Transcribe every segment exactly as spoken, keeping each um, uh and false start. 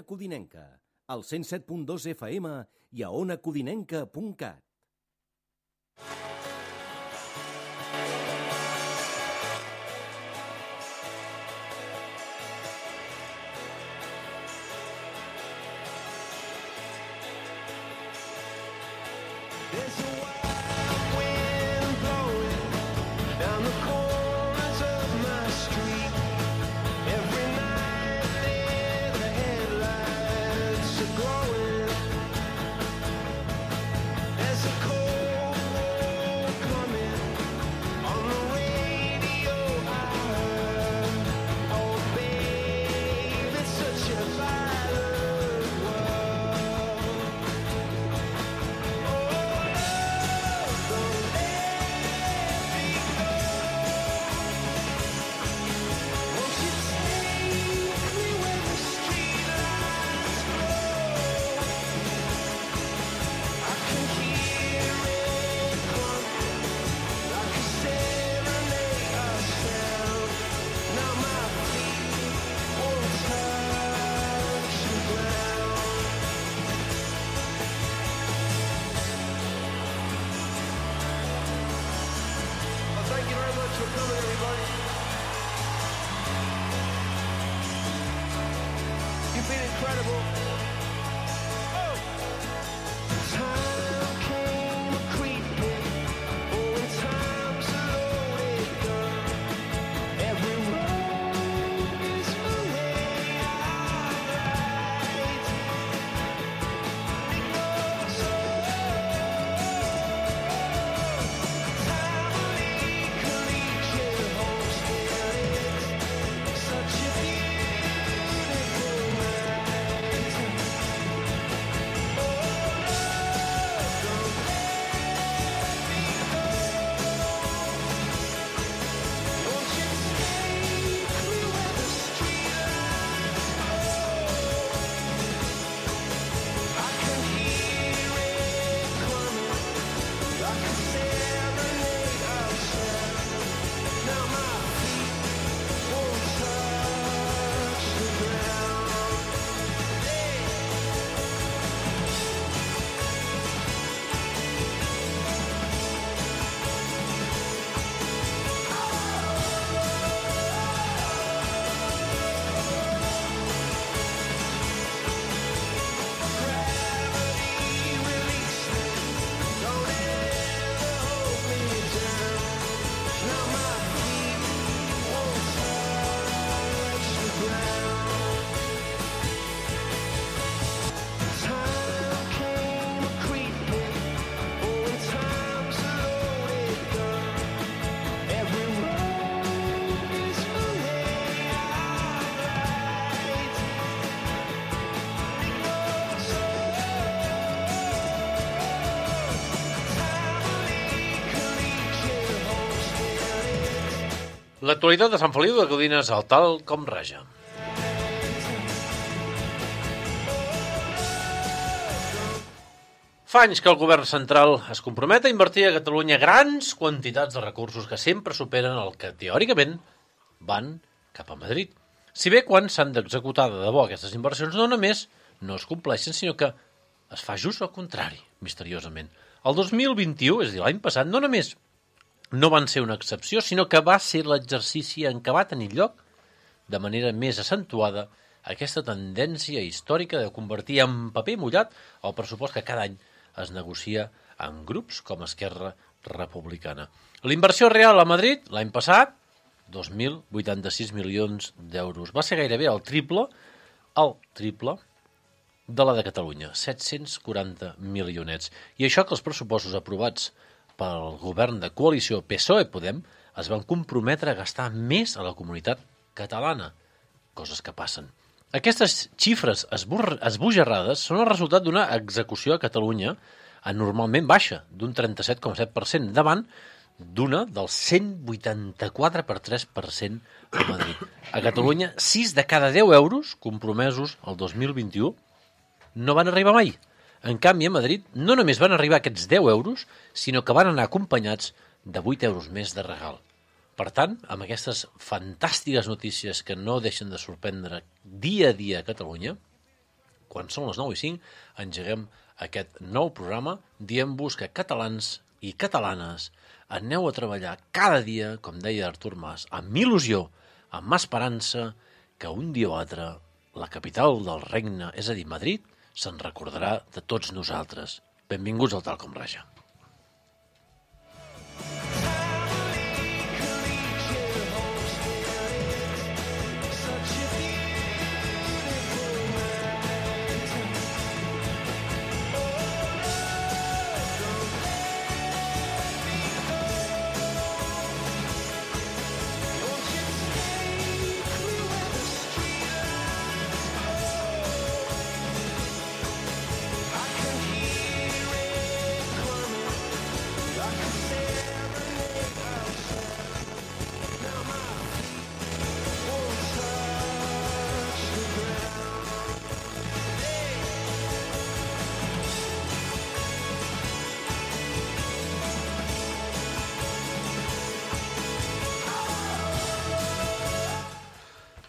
Codinenca, al cent set punt dos F M i a ona codinenca punt cat. L'actualitat de Sant Feliu de Codines al tal com raja. Fa anys que el govern central es compromet a invertir a Catalunya grans quantitats de recursos que sempre superen el que teòricament van cap a Madrid. Si bé quan s'han d'executar de debò aquestes inversions no només no es compleixen, sinó que es fa just el contrari, misteriosament. El dos mil vint-i-u, és a dir, l'any passat, no només no van ser una excepció, sinó que va ser l'exercici en què va tenir lloc de manera més accentuada aquesta tendència històrica de convertir en paper mullat el pressupost que cada any es negocia en grups com Esquerra Republicana. L'inversió real a Madrid l'any passat, dos mil vuitanta-sis milions d'euros. Va ser gairebé el triple, el triple de la de Catalunya, set-cents quaranta milionets. I això que els pressupostos aprovats pel govern de coalició P S O E-Podem es van comprometre a gastar més a la comunitat catalana, coses que passen. Aquestes xifres esbojarrades són el resultat d'una execució a Catalunya anormalment baixa, d'un trenta-set coma set per cent, davant d'una del cent vuitanta-quatre coma tres per cent a Madrid. A Catalunya, sis de cada deu euros compromesos el dos mil vint-i-u no van arribar mai. En canvi, a Madrid no només van arribar aquests deu euros, sinó que van anar acompanyats de vuit euros més de regal. Per tant, amb aquestes fantàstiques notícies que no deixen de sorprendre dia a dia a Catalunya, quan són les nou i cinc, engeguem aquest nou programa, diem-vos que catalans i catalanes aneu a treballar cada dia, com deia Artur Mas, amb il·lusió, amb esperança, que un dia o altre la capital del regne, és a dir, Madrid, se'n recordarà de tots nosaltres. Benvinguts al Tal Com Raja.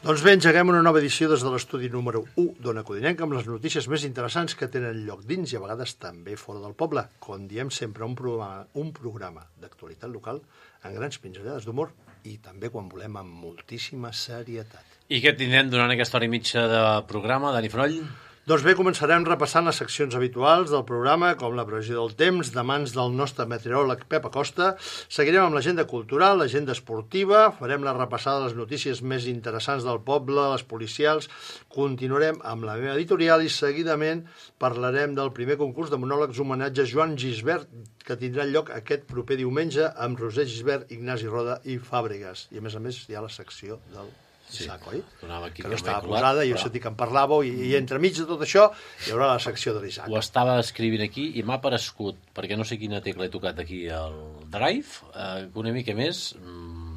Doncs bé, engeguem una nova edició des de l'estudi número u d'Ona Codinenca amb les notícies més interessants que tenen lloc dins i a vegades també fora del poble. Com diem sempre, un programa, un programa d'actualitat local amb grans pinzellades d'humor i també, quan volem, amb moltíssima serietat. I què tindrem durant aquesta hora i mitja de programa, Dani Froll? Doncs bé, començarem repassant les seccions habituals del programa, com la previsió del temps, de mans del nostre meteoròleg Pep Acosta. Seguirem amb l'agenda cultural, l'agenda esportiva, farem la repassada de les notícies més interessants del poble, les policials, continuarem amb la meva editorial i seguidament parlarem del primer concurs de monòlegs homenatge a Joan Gisbert, que tindrà lloc aquest proper diumenge amb Roser Gisbert, Ignasi Roda i Fàbregas. I a més a més hi ha la secció del Sí, sac, oi? aquí que no estava posada, i jo sentit que en parlàveu, i, i entremig de tot això hi haurà la secció de l'Isaac. Ho estava escrivint aquí i m'ha aparegut, perquè no sé quina tecla he tocat aquí al Drive, eh, una mica més mmm,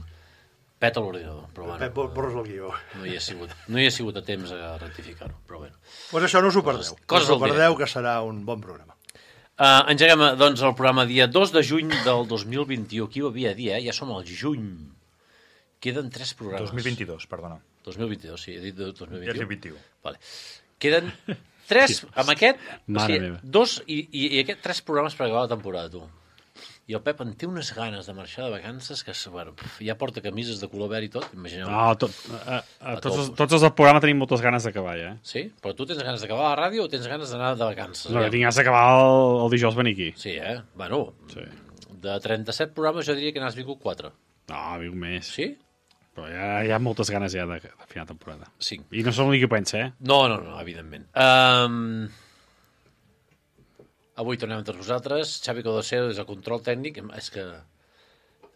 peta l'ordinador. Però bueno, Pep, borres el guió. No hi, he sigut, no hi he sigut a temps a rectificar-ho, però bueno. Pues això no us ho perdeu. Coses, coses no us ho perdeu, que serà un bon programa. Uh, engeguem, doncs, el programa dia dos de juny del dos mil vint-i-u. Aquí ho havia de dir, eh? Ja som al juny. Queden tres programes. dos mil vint-i-dos, perdona. dos mil vint-i-dos, sí, he dit dos mil vint-i-u. Ja vint-i-u. Vale. Queden tres, amb aquest, o sigui, meva. dos i, i, i aquest, tres programes per acabar la temporada, tu. I el Pep en té unes ganes de marxar de vacances que, bueno, ja porta camises de color verd i tot, imagineu. No, tot, a, a, tots, els, tots els del programa tenim moltes ganes d'acabar, ja. Eh? Sí? Però tu tens ganes d'acabar la ràdio o tens ganes d'anar de vacances? No, que tinc ganes d'acabar el, el dijous venir aquí. Sí, eh? Bueno, Sí. de trenta-set programes jo diria que n'has vingut quatre. No, vinc més. Sí? Però ja, hi ha moltes ganes ja de, de final de temporada. Cinc. I no som l'únic que pensa, eh? No, no, no, evidentment. Um... Avui tornem entre vosaltres. Xavi Codoseo des del control tècnic. És que...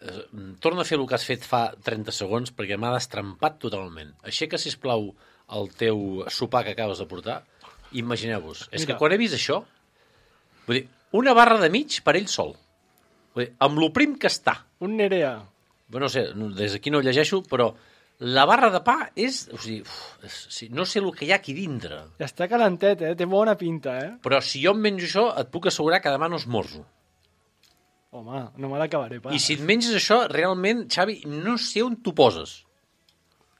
Eh, torna a fer el que has fet fa trenta segons perquè m'ha destrampat totalment. Aixeca, sisplau, el teu sopar que acabes de portar. Imagineu-vos. És que quan he vist això, vull dir, una barra de mig per ell sol. Vull dir, amb lo prim que està. Un Nerea. Bueno, no sé, des d'aquí no ho llegeixo, però la barra de pa és... O sigui, uf, és, sí, no sé el que hi ha aquí dintre. Ja està calentet, eh? Té bona pinta, eh? Però si jo em menjo això, et puc assegurar que demà no esmorzo. Home, no me l'acabaré pas. I si et menges això, realment, Xavi, no sé on t'ho poses.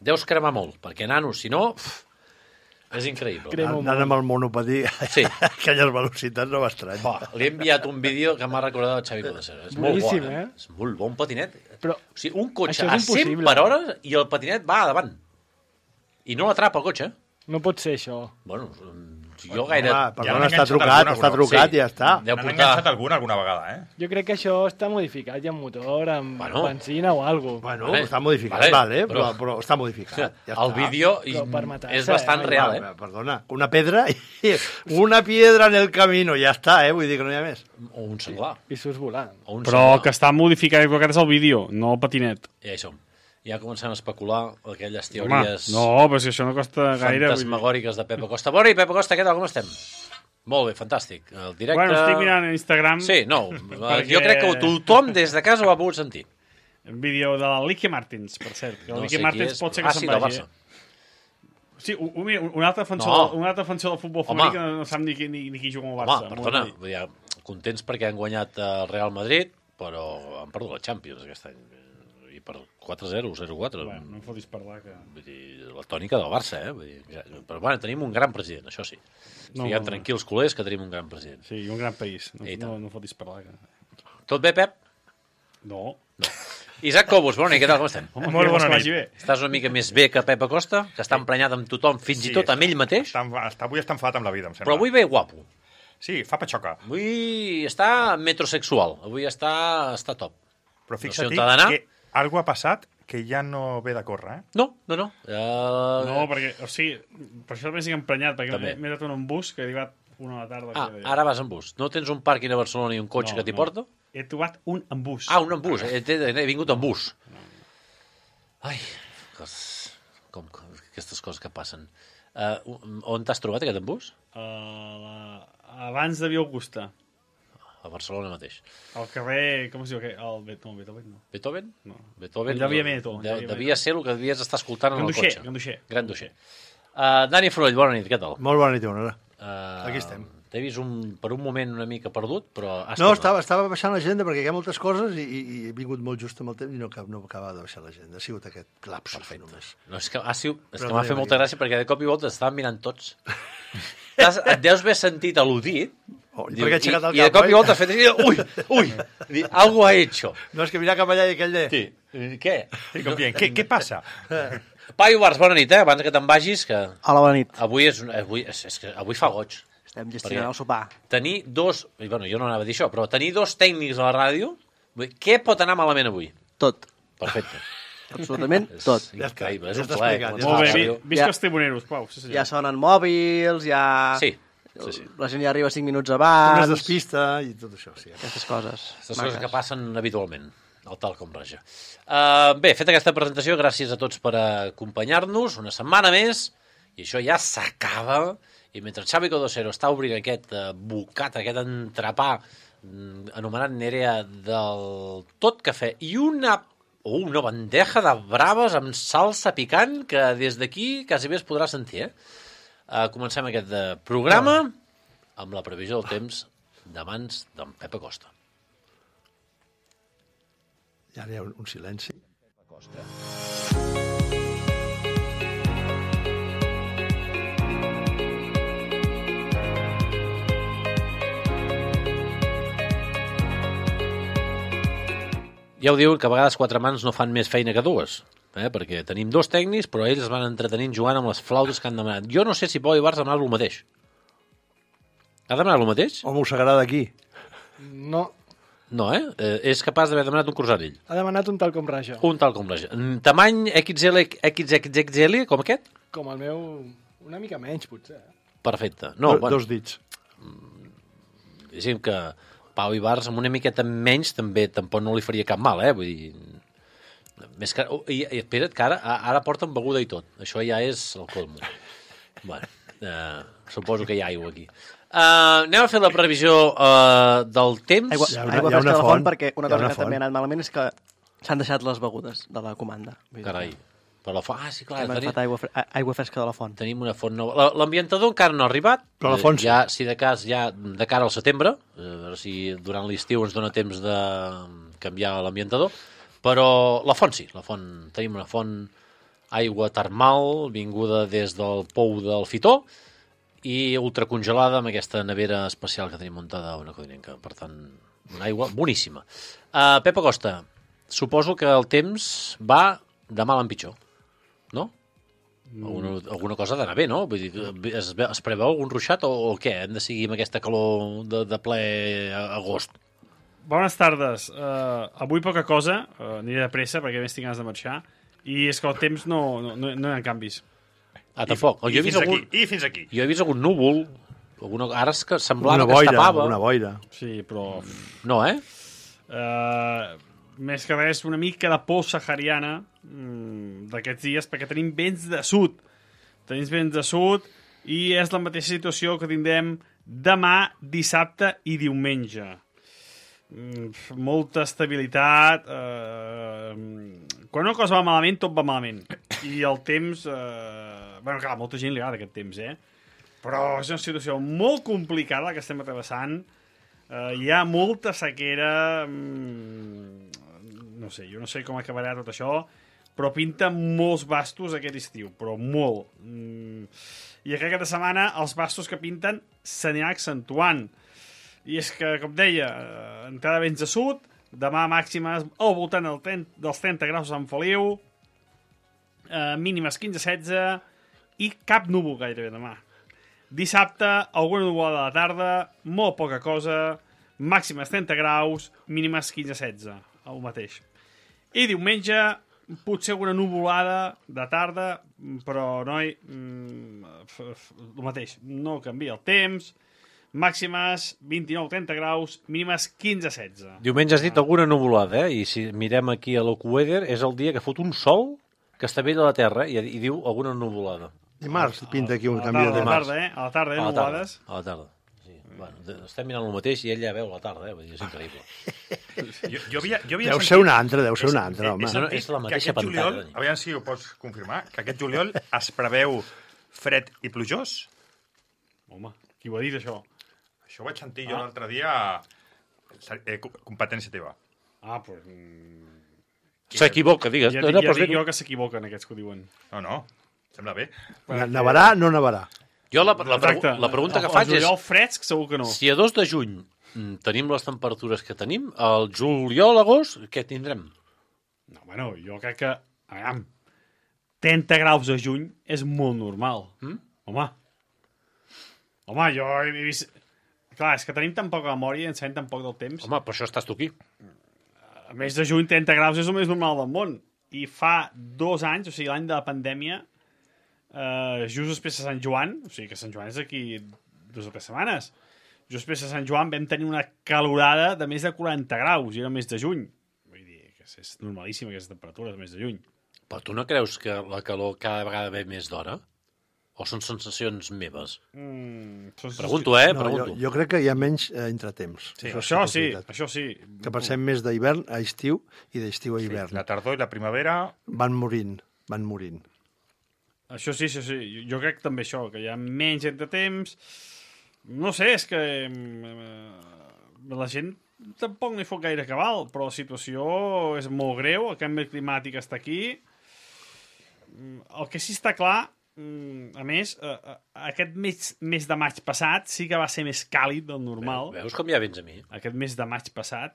Deus cremar molt, perquè, nano, si no... Uf, és increïble. Cremo Anant amb el monopatí, Sí. aquelles velocitats no m'estrany. Bah, li he enviat un vídeo que m'ha recordat el Xavi Codesero. És molt bo, Boníssim, eh? eh? És molt bon patinet. Però O sigui, un cotxe això a és cent impossible. per hora i el patinet va a davant. I no l'atrapa el cotxe. no pot ser això. Bueno, jo gaire... Home, perdona, l'han està enganxat trucat, alguna, està però- trucat sí. i ja està. Deu N'han portar... enganxat alguna alguna vegada, eh? Jo crec que això està modificat ja amb motor, amb Bueno. benzina o alguna cosa. Bueno, Vale, està modificat, vale, vale, però, però- però està modificat. Ja el està. vídeo i- Però per matar-se, és bastant eh? real, eh? Ah, perdona, una pedra i una piedra en el camino, ja està, eh? Vull dir que no hi ha més. O un senglar. I surts volant. O un Però senglar. que està modificat, aquest és el vídeo, no el patinet. Ja hi som. Ja comencem a especular aquelles Home, teories no, però si això no costa gaire... vull dir. fantasmagòriques de Pep Acosta. Bona, i Pep Acosta, què tal, com estem? Molt bé, fantàstic. El directe... Bueno, estic mirant a Instagram Sí, no, Perquè- jo crec que tothom des de casa ho ha pogut sentir. un vídeo de la Lique Martins, per cert. Que el No Lique sé qui Martins és, pot ser però- que ah, sí, se'n del vagi. Barça. Sí, un, un, un altre defensor, No. un altre defensor del futbol Home. femení que no, no sap ni, qui- ni, ni qui juga al Home, Barça. perdona, Molt bé. vull dir, contents perquè han guanyat el Real Madrid, però han perdut la Champions aquest any. I per quatre zero, zero quatre. Bueno, no em fotis parlar que... Vull dir, la tònica del Barça, eh? Vull dir, però bueno, tenim un gran president, això sí. No, Estiguem no, no. tranquils, culers, que tenim un gran president. Sí, i un gran país. No, I no, tant. no fotis parlar que... Tot bé, Pep? No. Isaac Cobos, bona nit, què tal, com estem? Home, Molt que bona vols que nit. vagi bé. Estàs una mica més bé que Pep Acosta, que està emprenyat amb tothom, fins i tot amb ell mateix, Està, està, avui està enfadat amb la vida, em sembla. però avui ve guapo. Sí, fa patxoca. Avui està metrosexual, avui està, està top. Però No sé fixa't on t'ha d'anar. que algo ha passat que ja no ve de córrer, eh? No, no, no. Uh... No, perquè, o sigui, per això també estic emprenyat, perquè També. m'he m'he anat en un bus que he arribat una a la tarda. Ah, que... ara vas en bus. No tens un pàrquing a Barcelona i un cotxe No, que t'hi no. porta? He trobat un en bus. Ah, un en bus. He, he, he vingut en bus. Ai, cos... com, com, aquestes coses que passen. Uh, on t'has trobat aquest en bus? Uh, la... Abans de Via Augusta. A Barcelona mateix. Al carrer... Com es diu? aquell? El Bet... No, Beethoven no. Beethoven? No. Beethoven. Allà havia metro, allà De, havia devia ser el que devies estar escoltant en el Ganduixer, cotxe. Ganduixer. Gran Duixer. Uh, Dani Frull, bona nit, què tal? Molt bona nit, Ivanora. Uh, Aquí estem. T'he vist un, per un moment una mica perdut, però has No, tornat. estava, estava baixant l'agenda perquè hi ha moltes coses i, i, i he vingut molt just amb el temps i no, cap, no acaba de baixar l'agenda. Ha sigut aquest lapsus Perfecte. només. No, és que, ha sigut, és Però que m'ha no fet hi molta havia. gràcia perquè de cop i volta estaven mirant tots. T'has, et deus haver sentit al·ludit. Oh, i perquè ha aixecat el i de cap, cop i oi? volta ha fet així, ui, ui, Dic, algo ha hecho. No, és que mirar cap allà i aquell de... Sí. Què? Sí, com dient, què, què passa? Paio Bars, bona nit, eh? Abans que te'n vagis, que Hola, bona nit. avui, és, avui, és, és que avui fa goig. Estem Perquè- gestionant el sopar. Tenir dos, i bueno, jo no anava a dir això, però tenir dos tècnics a la ràdio, vull dir, què pot anar malament avui? Tot. Perfecte. Absolutament És tot. Ja està, increïble, és ja un està plaer. explicat, començar ja Molt la bé, vi, ràdio. visca Ja. els tribuneros, Pau. Sí, senyor. Ja sonen mòbils, ja... Sí, sí, sí. La gent ja arriba cinc minuts Una abans... es despista i tot això, sí. Aquestes coses. Aquestes coses que passen habitualment, al tal com raja. Uh, bé, feta aquesta presentació, gràcies a tots per acompanyar-nos una setmana més, i això ja s'acaba, i mentre Xavi Codosero està obrint aquest uh, bocat, aquest entrepà mm, anomenat Nerea del tot cafè, i una, oh, una bandeja de braves amb salsa picant que des d'aquí quasi bé es podrà sentir, eh? Uh, comencem aquest uh, programa amb la previsió del temps de mans d'en Pep Acosta. I ara hi ha un, un silenci. Ja ho diuen que a vegades quatre mans no fan més feina que dues, eh? Perquè tenim dos tècnics, però ells es van entretenint jugant amb les flautes que han demanat. Jo no sé si Pau Ibarz ha demanat el mateix. Ha demanat el mateix? O m'ho d'aquí. No, No, eh? eh? És capaç d'haver demanat un croissant ell. ha demanat un tal com raja. Un tal com raja. Mm, Tamany X L, X X X L, com aquest? Com el meu... Una mica menys, potser. Perfecte. No, Do, bueno, Dos dits. diguéssim que Pau Ibarz amb una miqueta menys també tampoc no li faria cap mal, eh? Vull dir... Més que... oh, I, i espera't que ara, ara porten beguda i tot. Això ja és el colmo. Bueno, eh, suposo que hi ha aigua aquí. Uh, anem a fer la previsió uh, del temps. Aigua, Hi ha una- aigua hi ha fresca una de la font, font, perquè una hi ha cosa una que també font. ha anat malament és que s'han deixat les begudes de la comanda. Vull dir Carai. que Per la font... Ah, sí, clar. Hem Tenim, agafat aigua, fre- a- aigua fresca de la font. tenim una font nova. La- L'ambientador encara no ha arribat. Però la font sí. Ja, si de cas, ja de cara al setembre, eh, a veure si durant l'estiu ens dona temps de canviar l'ambientador. Però la font sí, la font. Tenim una font aigua termal, vinguda des del pou del Fitó, i ultracongelada amb aquesta nevera especial que tenim muntada a una codinenca. Per tant, una aigua boníssima. Uh, Pep Acosta, suposo que el temps va de mal en pitjor, no? Alguna, alguna cosa ha d'anar bé, no? Vull dir, es, ve- es preveu algun ruixat o, o què? Hem de seguir amb aquesta calor de, de ple agost? Bones tardes. Uh, avui poca cosa, uh, aniré de pressa perquè més tinc ganes de marxar, i és que el temps no, no, no, no hi ha canvis. Ah, tampoc. I, Jo he fins vist algun, aquí, I fins aquí. jo he vist algun núvol, alguna, ara és que semblava Una que es boira, tapava. una boira. Sí, però... No, eh? Uh, més que res, una mica de por sahariana mm, d'aquests dies, perquè tenim vents de sud. Tenim vents de sud i és la mateixa situació que tindrem demà, dissabte i diumenge. Mm, molta estabilitat. Uh, quan una cosa va malament, tot va malament. I el temps... Uh, bueno, clar, a molta gent li agrada aquest temps, eh? Però és una situació molt complicada la que estem travessant. Uh, hi ha molta sequera, mm, no sé, jo no sé com acabarà tot això, però pinta molts bastos aquest estiu, però molt. Mm. I aquesta setmana els bastos que pinten s'anirà accentuant. I és que, com deia, entrada vents de sud, demà màximes al voltant del trenta, dels trenta graus a Sant Feliu, eh, mínimes quinze a setze i cap núvol gairebé demà. Dissabte, alguna nuvolada a la tarda, molt poca cosa, màximes trenta graus, mínimes quinze a setze, el mateix. I diumenge, potser alguna nuvolada de tarda, però, noi, el mateix, no canvia el temps, màximes vint-i-nou a trenta graus, mínimes quinze a setze. Diumenge has dit alguna nuvolada, eh? I si mirem aquí a l'Ocueder, és el dia que fot un sol que està bé de la terra i, i diu alguna nuvolada. Dimarts pinta aquí un A la canvi de tarda, a la dimarts. tarda, eh? A la tarda, eh? A la tarda, Nuvolades. a la tarda. Sí. Bueno, de- estem mirant el mateix i ell ja veu la tarda, eh? Vull dir, és increïble. Jo, jo havia, jo havia Deu sentit- ser una altra, deu ser una he- altra, he- home. he sentit No, no, és la que mateixa aquest pantalla, juliol, Dani. aviam si ho pots confirmar, que aquest juliol es preveu fred i plujós. Home, qui ho ha dit, això? Això ho vaig sentir jo l'altre dia, eh, co- competència teva. Ah, doncs... Pues, mm, S'equivoca, digues. ja No, dic, no, ja però dic bé, jo que s'equivoquen aquests que ho diuen. No, no, sembla bé. Nevarà, no nevarà. Jo la, la, pregu Exacte. la pregunta que El- faig el és juliol fresc, segur que no. si a dos de juny mm, tenim les temperatures que tenim, al juliol, agost, què tindrem? No, bueno, jo crec que... Aviam, trenta graus a juny és molt normal. Mm? Home. Home, jo he vist... Clar, és que tenim tan poca memòria i ens sabem tan poc del temps. Home, per això estàs tu aquí. A més de juny, trenta graus és el més normal del món. I fa dos anys, o sigui, l'any de la pandèmia, eh, just després de Sant Joan, o sigui que Sant Joan és aquí dues o tres setmanes, just després de Sant Joan vam tenir una calorada de més de quaranta graus, i era el mes de juny. Vull dir que és normalíssima aquesta temperatura, el mes de juny. Però tu no creus que la calor cada vegada ve més d'hora? O són sensacions meves? Mm, són- Pregunto, eh? No, jo, Pregunto. jo crec que hi ha menys eh, entretemps. Sí, això que és sí, veritat. això sí. Que passem més d'hivern a estiu i d'estiu a Sí, hivern. la tardor i la primavera... Van morint, van morint. Això sí, això sí. Jo, jo crec també això, que hi ha menys entretemps. No sé, és que eh, la gent tampoc no hi fot gaire cabal, però la situació és molt greu, el canvi climàtic està aquí. Mm, El que sí està clar, mm, a més, eh, eh, aquest mes, mes de maig passat sí que va ser més càlid del normal. Veus com ja vens a mi? Aquest mes de maig passat,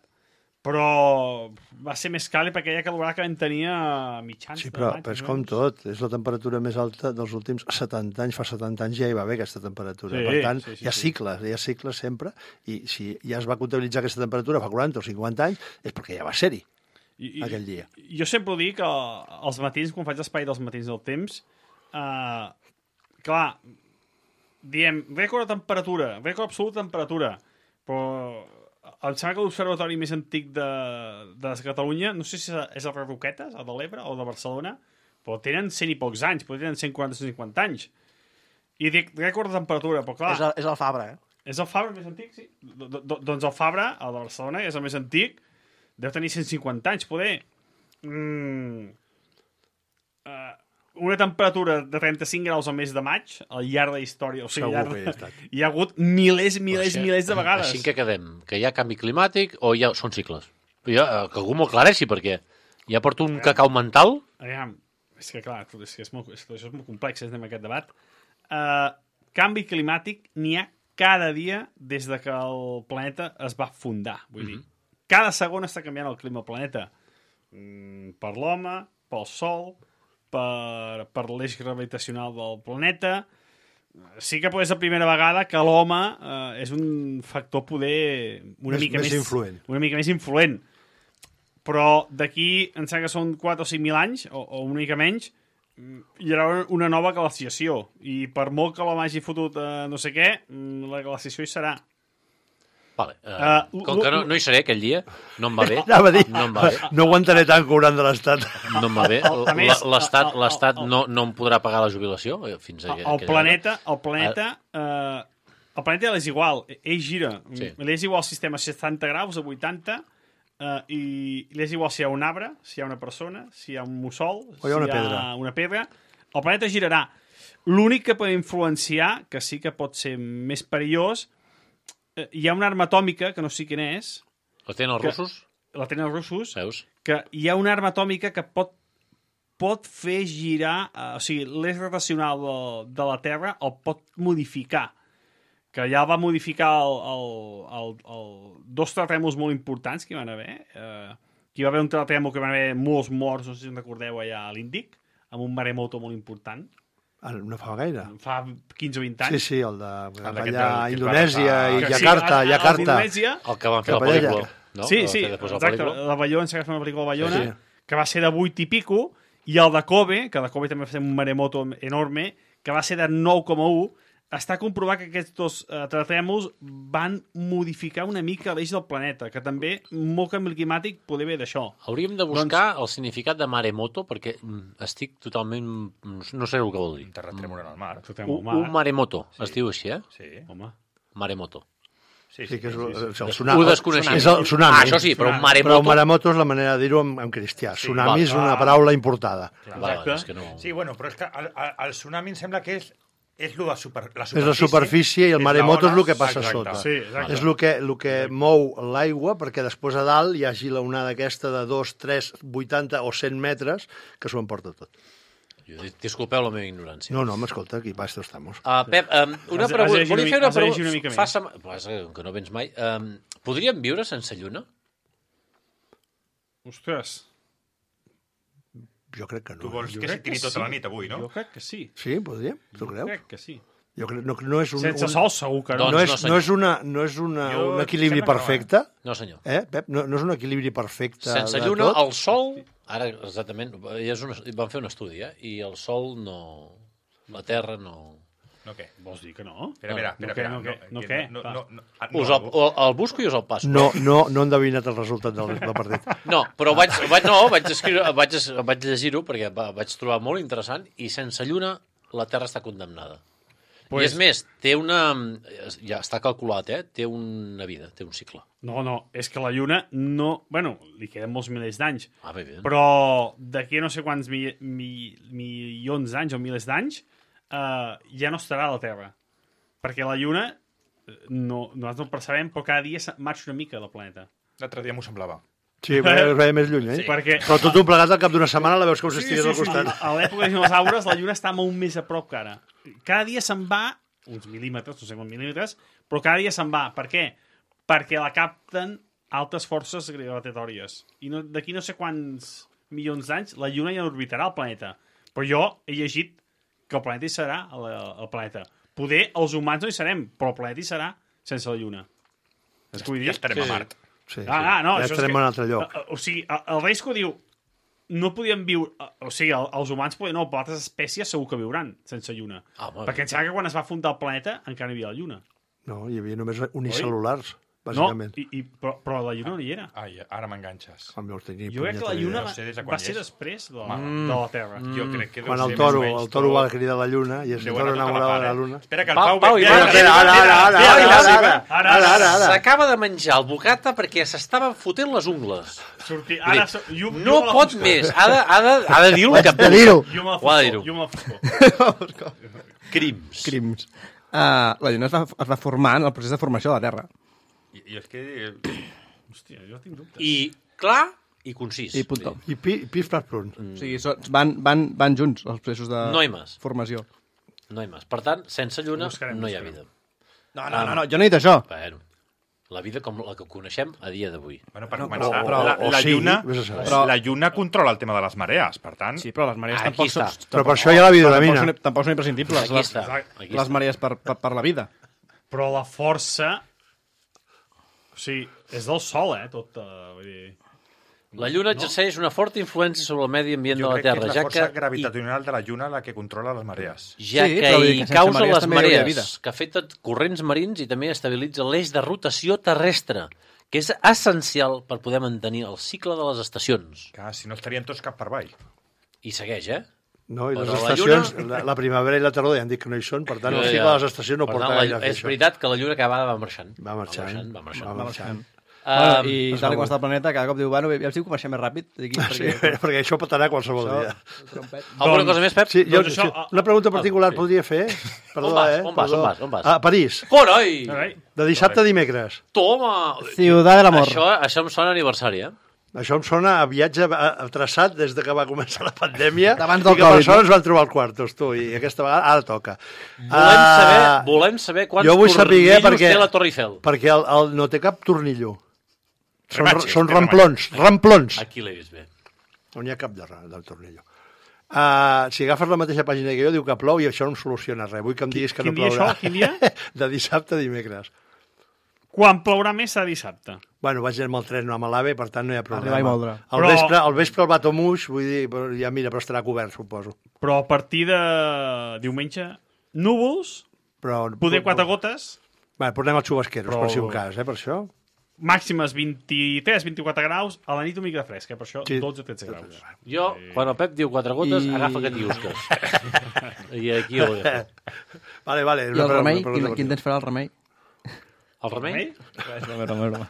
però va ser més càlid perquè aquella calorada que vam tenir a mitjans Sí, de però, maig. però és més o com menys. tot. És la temperatura més alta dels últims setanta anys. Fa setanta anys ja hi va haver aquesta temperatura. Sí, per tant, sí, sí, hi ha sí. cicles, hi ha cicles sempre. I si ja es va comptabilitzar aquesta temperatura fa quaranta o cinquanta anys, és perquè ja va ser-hi I, i, aquell dia. Jo sempre ho dic, eh, als matins, quan faig l'espai dels matins del temps, eh, clar, diem, rècord de temperatura, rècord absolut de temperatura, però em sembla que l'observatori més antic de, de Catalunya, no sé si és el Roquetes, el de l'Ebre, o el de Barcelona, però tenen cent i pocs anys, però tenen cent quaranta o cent cinquanta anys. I dic, rècord de temperatura, però clar... És el, és el Fabra, eh? És el Fabra més antic, sí. Do, do, doncs el Fabra, el de Barcelona, és el més antic, deu tenir cent cinquanta anys, poder. Mm, uh, una temperatura de trenta-cinc graus al mes de maig, al llarg de la història, o sigui, Segur al llarg que hi ha de- estat. hi ha hagut milers, milers, Així- milers de vegades. Així que quedem, que hi ha canvi climàtic o hi ha... són cicles? Jo, eh, que algú m'ho aclareixi, perquè ja porto un cacau mental. Aviam, és que clar, és que és molt, és, això és molt complex, és en aquest debat. Uh, canvi climàtic n'hi ha cada dia des de que el planeta es va fundar. Vull dir, cada segon està canviant el clima al planeta. Mm, per l'home, pel sol, per, per l'eix gravitacional del planeta. Sí que és la primera vegada que l'home eh, és un factor poder una Més- mica més més, influent. una mica més influent. Però d'aquí, em sembla que són quatre o cinc mil anys, o, o una mica menys, mm, hi haurà una nova glaciació. I per molt que l'home hagi fotut eh, no sé què, mm, la glaciació hi serà. Vale, eh, Uh, com que no, no hi seré aquell dia, no em va bé. Anava a dir, No em va bé. no aguantaré tant cobrant de l'Estat. No em va bé. A més, La- L'Estat el- el- l'Estat el- no, no em podrà pagar la jubilació eh, fins a El, aquella el planeta, el planeta, eh, el planeta és igual, ell gira. Sí. Li és igual el sistema a setanta graus, a vuitanta, eh, i li és igual si hi ha un arbre, si hi ha una persona, si hi ha un mussol, O hi ha una si hi pedra. ha una pedra. El planeta girarà. L'únic que pot influenciar, que sí que pot ser més perillós, eh, hi ha una arma atòmica, que no sé quina és, La tenen els Que- russos? la tenen els russos, Veus? que hi ha una arma atòmica que pot pot fer girar, eh, o sigui, l'eix rotacional de, de la Terra el pot modificar, que ja va modificar el, el, el, el, dos terratrèmols molt importants que hi van haver. Eh, que hi va haver un terratrèmol que van haver molts morts, no sé si en recordeu, allà a l'Índic, amb un maremoto molt important. Ah, no fa gaire. Fa quinze o vint anys. Sí, sí, el de d'aquest allà del- a que es va Indonèsia agafar- i Que Jakarta, sí, el- el Jakarta. d'Indonèsia, El que van fer Cap la allà, pel·lícula. ja. No? sí, Que sí, va fer després la exacte, pel·lícula. la Bayona, s'ha agafat una pel·lícula de Bayona, Sí, sí. que va ser de vuit i pico, i el de Kobe, que de Kobe també va fer un maremoto enorme, que va ser de nou coma u, està comprovat que aquests dos eh, terratrèmols van modificar una mica l'eix del planeta, que també molt canvi climàtic poder ve d'això. Hauríem de buscar el significat de maremoto, perquè mm, estic totalment... No sé el que vol dir. Un terratrèmol en el mar. Terratrèmol Un, al mar. un maremoto, es diu així, eh? Sí, Home, Maremoto. sí, Sí, que és, sí, sí. és el tsunami. Ho desconeixia. És el tsunami. Ah, això sí, però un Però maremoto... maremoto és la manera de dir-ho en, en cristià. Tsunami val. és una paraula importada. Va, Exacte. és que no... Sí, bueno, però és que el, el, el tsunami em sembla que és, és lo de super, la És superfície. la superfície i el és maremoto la és el que ona, passa exacte. sota. sí, exacte. És el que, el que mou l'aigua perquè després a dalt hi hagi la onada aquesta de dos, tres, vuitanta o cent metres que s'ho emporta tot. Jo, disculpeu la meva ignorància. No, no, m'escolta, aquí pa esto estamos. Uh, Pep, um, una Has de- pregunta. has de llegir Volia una fer mi- una has de llegir una mica pregunta. Fa més. sema... Pues, eh, que no vens mai. Um, podríem viure sense lluna? Ostres, Jo crec que no. Tu vols Jo que crec s'hi tiri que tota sí. la nit avui, no? jo crec que sí. Sí, podríem? Tu Jo creus? crec que sí. Jo crec, no, no és un, Sense un, sol segur que no. Doncs no, és, no, no senyor. és, una, no és una, Jo un equilibri sembla que no, eh? perfecte, No, senyor. eh, Pep? No, no és un equilibri perfecte Sense de lluna, tot. el sol... Ara, exactament, ja és un, van fer un estudi, eh? I el sol no... La Terra no... No, què? Vols dir que no? Espera, espera, No, espera. no, espera, què, no, que què? No, Va. no, no, ah, Us no, el, el, el busco i us el passo. No, no, no he endevinat el resultat del, del partit. No, però vaig, vaig, no, vaig, escriure, vaig, es- vaig llegir-ho perquè va, vaig trobar molt interessant i sense lluna la Terra està condemnada. Pues... Pues- I és més, té una... Ja està calculat, eh? Té una vida, té un cicle. No, no, és que la Lluna no... Bueno, li queden molts milers d'anys, Ah, bé, bé. però d'aquí a no sé quants mi, mi, milions d'anys o milers d'anys eh, ja no estarà a la Terra. Perquè la Lluna, eh, no, nosaltres no ho percebem, però cada dia se- marxa una mica del planeta. L'altre dia m'ho semblava. Sí, es veia més lluny, eh? Sí. Perquè Però tot un plegat al cap d'una setmana la veus com si estigués al costat. a, a l'època de dinosaures la Lluna està molt més a prop que ara. Cada dia se'n va uns mil·límetres, no sé quants mil·límetres, però cada dia se'n va. Per què? Perquè la capten altes forces gravitatòries. I no, d'aquí no sé quants milions d'anys la Lluna ja no orbitarà el planeta. Però jo he llegit que el planeta hi serà, el, el planeta. Poder els humans no hi serem, però el planeta hi serà sense la Lluna. És que vull dir? Ja estarem Sí, a Mart. Sí, Ah, ah, no, ja això és estarem que- en un altre lloc. O, o sigui, el, el Reisco diu no podien viure... O sigui, el, els humans podien... No, però altres espècies segur que viuran sense lluna. Ah, bueno. Perquè em sembla que quan es va fundar el planeta encara hi havia la lluna. No, hi havia només unicel·lulars, No, bàsicament. i, i, però, però la lluna no hi era. Ai, ara m'enganxes. Com jo tenia Jo crec que la punyetera lluna idea. No sé des de va, quan va ser hi és. després de la, Mm. de la Terra. Jo crec que deu Quan el ser toro, més o menys el toro tot- va cridar la lluna i el Deu toro anar tota la enamorava part, de la eh? lluna. Espera, que el Pau, Pau... Pau, mira, Ivan, mira, espera, ara, mira, ara, mira, ara, mira, ara, mira. ara. Ara, Ara, ara, ara. S'acaba de menjar el bocata perquè s'estava fotent les ungles. Sortir, Vull ara, dir, so- jo, no jo me la pot foscor. més. Ha de, ha de, ha de dir-ho. Haig de dir-ho. Jo me la Ho ha de dir-ho. foscor. Jo me la foscor. Crims. Crims. Uh, la lluna es va, es va formar en el procés de formació de la Terra. I, I és que... Hòstia, jo tinc dubtes. I clar i concís. I punto. I pi, pis plas prun. O sigui, so, van, van, van junts els processos de No hi més. formació. No hi més. Per tant, sense lluna Buscarem, no hi ha buscarem. vida. No, no, no, no, jo no he dit això. Bueno, la vida com la que coneixem a dia d'avui. Bueno, per No, començar, però- la, o la, sigui, lluna, vés a saber. però... la lluna controla el tema de les marees, per tant... Sí, però les marees Ah, tampoc aquí són... està. Però per això hi ha la vitamina. Tampoc, són, tampoc són imprescindibles. Aquí les, està. Aquí les està. marees per, per, per la vida. Però la força... O sigui, és del sol, eh, tot. Uh, vull dir... La lluna exerceix una forta influència sobre el medi ambient Jo de la crec que Terra, és la ja força que, gravitacional de la lluna la que controla les marees. ja Sí, que però vull dir hi que sense causa marees les també hi hauria marees, vida. que afecta corrents marins i també estabilitza l'eix de rotació terrestre, que és essencial per poder mantenir el cicle de les estacions. Que si no estarien tots cap per avall. I segueix, eh? No, i les Però la estacions, lluna- la, la primavera i la tardor ja han dit que no hi són, per tant, el Ja, cicle ja. de les estacions no Per porta tant, la- gaire a fer És això. veritat que la lluna cada vegada va marxant. Va marxant, Va marxant. va marxant. Bueno, Um, I es tal va com està el planeta, cada cop diu, bueno, ja si ho comencem més ràpid. Aquí, Sí, perquè això pot anar qualsevol dia. alguna cosa més, Pep? Sí, jo, Doncs això- una pregunta particular sí. podria fer? Perdó, On vas? eh? On vas? Perdó. On vas? On vas? A París, Coroi! Carai. de dissabte a dimecres. Toma! Ciudad del Amor. Això, això em sona a aniversari, eh? Això em sona a viatge a, a traçat des de que va començar la pandèmia D'abans del i que Covid, persones van trobar el quartos, tu, i aquesta vegada ara toca. Volem, Ah, saber, volem saber quants jo vull saber tornillos perquè- té la Torre Eiffel. Perquè el, el, no té cap tornillo. Són, Rematxes, són té ramplons, ramplons. Aquí l'he vist bé. No n'hi ha cap de, ra- del tornillo. Uh, si agafes la mateixa pàgina que jo, diu que plou i això no em soluciona res. Vull que em diguis que Quin no dia plourà. això? Quin dia? De dissabte a dimecres. Quan plourà més serà dissabte. Bueno, vaig anar amb el tren, no amb l'AVE, per tant no hi ha problema. Arribar i moldre. Al Però- vespre, al vespre el Batomuix, vull dir, però ja mira, però estarà cobert, suposo. Però a partir de diumenge, núvols, Però, poder quatre gotes, Bueno, portem els xubasqueros, Però- per si un cas, eh, per això. màximes vint-i-tres vint-i-quatre graus, a la nit una mica de fresc, eh? Per això Sí. dotze tretze graus. Jo, quan el Pep diu quatre gotes, I- agafa catiusques. I aquí ho agafo. Vale, vale. I una el pre- remei? una pregunta Quin, quin temps farà el remei? El remei? Remei, remei, remei.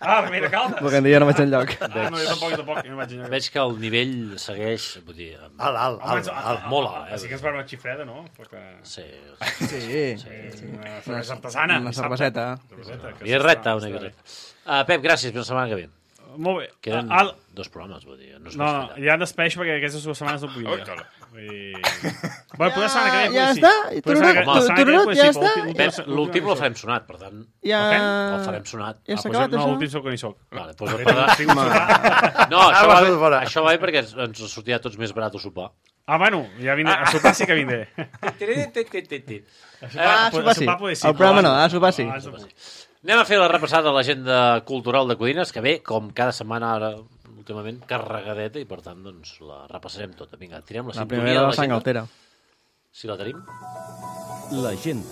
Ah, remei de caldes! Perquè en dia no vaig enlloc. Ah, no, jo tampoc, jo tampoc, jo no vaig enlloc. Veig que el nivell segueix, vull dir, amb- Alt, alt, Home, alt, ah, alt. ah, molt ah, alt, eh? Sí que ens va una xifreda, no? Perquè... sí, Sí. Una cervesa artesana. Una cerveseta. Cerveseta, que i recta està- una està mica. Uh, Pep, gràcies, fins la setmana que ve. bé. Molt bé. Queden Al... dos programes, vull dir, no es No, pot no, fallar. ja despeixo perquè aquestes dues setmanes no puc Ui, dir. cara. I... Bueno, poder setmana que ve, Ja pues sí. està? Poder I setmana que- tururut, la setmana que ve, tururut, pues ja sí, està? però l'últim- Pep, l'últim- l'últim l'últim el farem sonat, per tant, Ja... el farem sonat. Ja Ah, s'ha pues acabat, no, això? l'últim sóc que n'hi soc. Vale, doncs He el parla... tingut sopar. No, això Ah, va, vas de fora. això va bé perquè ens, ens sortirà a tots més barat a sopar. Ah, bueno, ja vindré. A sopar sí que vindré. Ah, A sopar sí. sopar poder sí. El programa no, a sopar sí. Ah, sopar sí. Anem a fer la repassada de l'agenda cultural de Codines, que ve, com cada setmana ara, últimament, carregadeta, i per tant, doncs, la repassarem tota. Vinga, tirem la La sintonia primera de de la sang l'agenda. altera. Si la tenim. L'agenda.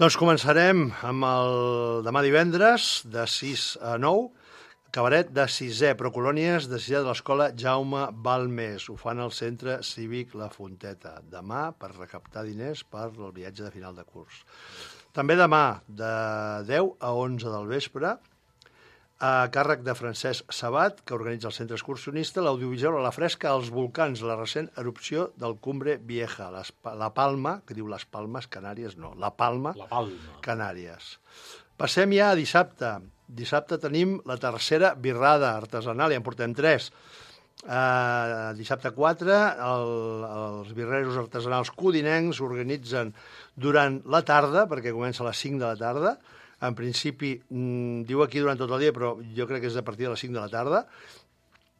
Doncs començarem amb el demà divendres, de sis a nou, cabaret de sisè, Procolònies de sisè de l'escola Jaume Balmés. Ho fan al Centre Cívic La Fonteta. Demà, per recaptar diners per el viatge de final de curs. També demà, de deu a onze del vespre, a càrrec de Francesc Sabat, que organitza el Centre Excursionista, l'audiovisual a la fresca als volcans, la recent erupció del Cumbre Vieja, les, la Palma, que diu les Palmes Canàries, no, la Palma, La Palma. Canàries. Passem ja a dissabte. Dissabte tenim la tercera birrada artesanal, ja en portem tres. Uh, dissabte quatre, el, els birreros artesanals codinencs organitzen durant la tarda, perquè comença a les cinc de la tarda. En principi, mm, diu aquí durant tot el dia, però jo crec que és a partir de les cinc de la tarda.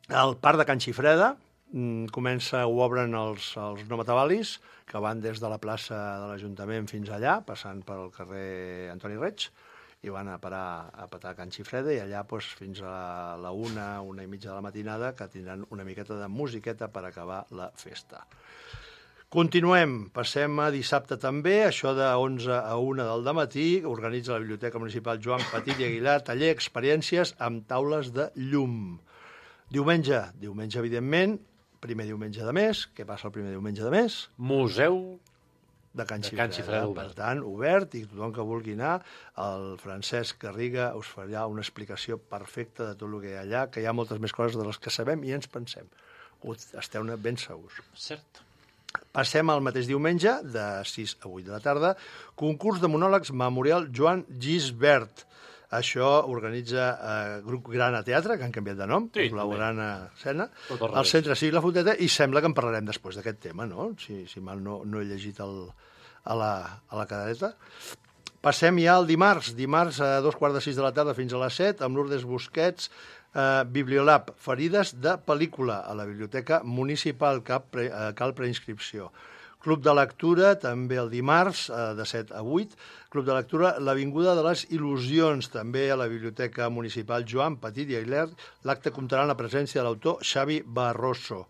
El parc de Can Xifreda mm, comença, ho obren els, els no matavalis, que van des de la plaça de l'Ajuntament fins allà, passant pel carrer Antoni Reig, i van a parar a petar a Can Xifreda, i allà doncs, fins a la una, una i mitja de la matinada, que tindran una miqueta de musiqueta per acabar la festa. Continuem, passem a dissabte també, això de onze a una del dematí, organitza la Biblioteca Municipal Joan Petit i Aguilar, taller experiències amb taules de llum. Diumenge, diumenge evidentment, primer diumenge de mes, què passa el primer diumenge de mes? Museu De Can De Xifreda. Can Xifreda Per obert. tant, obert, i tothom que vulgui anar, el Francesc Garriga us farà una explicació perfecta de tot el que hi ha allà, que hi ha moltes més coses de les que sabem i ens pensem. Ho esteu-ne ben segurs. Cert. Passem al mateix diumenge, de sis a vuit de la tarda, concurs de monòlegs Memorial Joan Gisbert. Això organitza eh, Grup Grana Teatre, que han canviat de nom, Sí, la també. Grana Escena, Tot al al revés. Centre Cívic La Fonteta, i sembla que en parlarem després d'aquest tema, no? Si, si mal no, no he llegit el, a, la, a la cadereta. Passem ja al dimarts, dimarts a dos quarts de sis de la tarda fins a les set, amb Lourdes Busquets, eh, Bibliolab, ferides de pel·lícula, a la Biblioteca Municipal, cap pre, eh, cal preinscripció. Club de lectura, també el dimarts, eh, de set a vuit. Club de lectura, l'Avinguda de les Il·lusions, també a la Biblioteca Municipal Joan Petit i Aguilar. L'acte comptarà amb la presència de l'autor Xavi Barroso.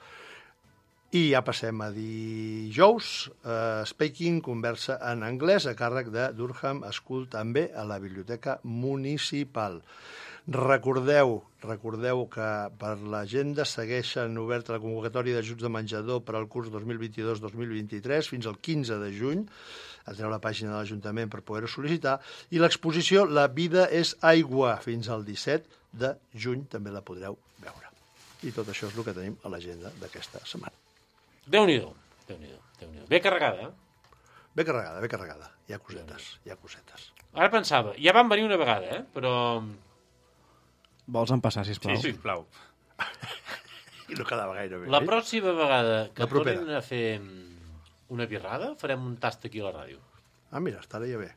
I ja passem a dijous, eh, Speaking, conversa en anglès, a càrrec de Durham School, també a la Biblioteca Municipal. Recordeu, recordeu que per l'agenda segueixen oberta la convocatòria d'ajuts de menjador per al curs dos mil vint-i-dos dos mil vint-i-tres fins al quinze de juny. Entreu a la pàgina de l'Ajuntament per poder-ho sol·licitar. I l'exposició La vida és aigua fins al disset de juny també la podreu veure. I tot això és el que tenim a l'agenda d'aquesta setmana. Déu-n'hi-do, Déu-n'hi-do, Déu-n'hi-do. Ben carregada, eh? Ben carregada, ben carregada. Hi ha cosetes, hi ha cosetes. Ara pensava, ja van venir una vegada, eh? Però... Vols empassar, sisplau? Sí, sisplau. I no quedava gaire bé. La eh? pròxima vegada que La propera. tornin a fer una birrada, farem un tast aquí a la ràdio. Ah, mira, estaria bé.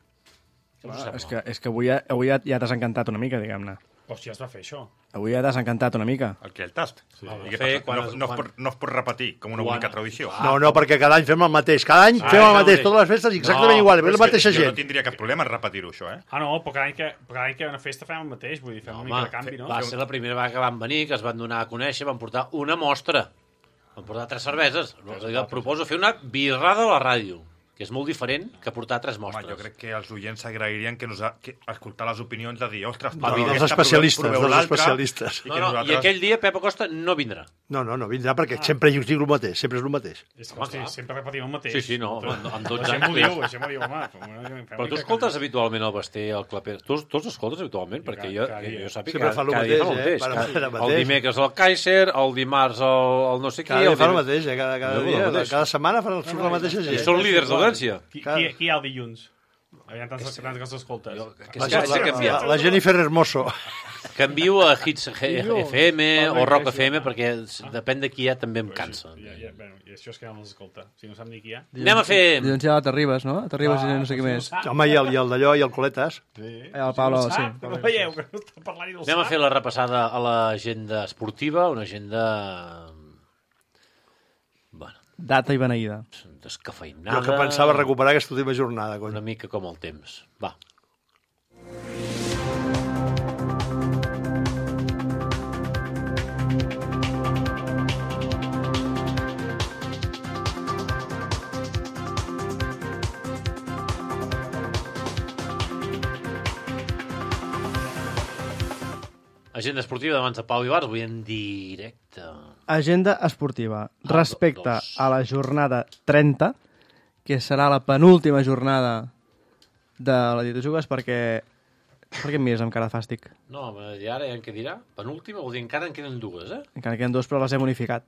Què us Ah, sembla? és que, és que avui, ja, avui ja, ja t'has encantat una mica, diguem-ne. Hòstia, es va fer això. Avui ja t'has encantat una mica. El que, el tast? Sí. Home, I què fer passa? quan no, es- no, quan- es pot, no es pot repetir com una Quan- única tradició. Ah, No, no, perquè cada any fem el mateix. Cada any Ah, fem el és mateix. el Totes les festes exactament No, igual. Però Ve és la que mateixa jo no gent. tindria cap problema en repetir-ho, això, eh? Ah, no, però cada any que, cada any que hi ha una festa fem el mateix, vull dir, fem una mica de canvi, no? va ser la primera vegada que van venir, que es van donar a conèixer, van portar una mostra. Van portar tres cerveses. Jo proposo fer una birrada a la ràdio, que és molt diferent que portar tres Home, mostres. jo crec que els oients agrairien que, nos, que escoltar les opinions de dir, ostres, No, proveu dels aquesta, especialistes, proveu dels l'altra, especialistes. I, No, que no, nosaltres... I aquell dia Pep Acosta no vindrà. No, no, no vindrà perquè sempre hi dic el mateix. Sempre és el mateix. És que, Home, hosti, clar. sempre repetim el mateix. Sí, sí, no, amb- amb dotze Deixem-ho anys. dir, deixem-ho dir, home. Fem una- fem Però una tu mica escoltes de canvi. habitualment el Basté, el Clapés. Tu, tu els escoltes habitualment? Perquè jo, cada que dia. jo sàpiga Sempre que fa el cada dia fa el mateix, eh? mateix. Para Cada- fer el El mateix. dimecres el Kaiser, el dimarts el, el no sé qui... Cada dia el fa el dim- mateix, eh? Cada, cada Jo, el dia, mateix. cada setmana fa surt la mateixa I gent. són líders d'audiència. Qui, Cada- qui, qui hi ha el dilluns? Hi ha tants, tants que els escoltes. Que La, és que s'ha la, canviat. la, la Jennifer Hermoso. Canvio a Hits G- F M o Rock F M perquè Ah. depèn de qui hi ha també em cansa. Ja, ja, bueno, i això és que no els escolta. Si no sap ni qui hi ha. Anem a fer... Dilluns hi ha la Terribas, no? Terribas i no sé què més. Home, i el, i el d'allò, i el Coletes. Sí. El Pablo, no sí. sap, no veieu que no està parlant i no Anem a sap. fer la repassada a l'agenda esportiva, una agenda... Bueno, Data i beneïda. descafeinada. Jo que pensava recuperar aquesta última jornada. Cony. Una mica com el temps. Va. Agenda esportiva de mans de Pau Ibarz, avui en directe. Agenda esportiva. Ah, Respecte dos. a la jornada trenta, que serà la penúltima jornada de la Dieto Jugues, perquè... Per què em mires amb cara de fàstic? No, i ara ja en què dirà? Penúltima, vol dir encara en queden dues, eh? Encara queden dos, però les hem unificat.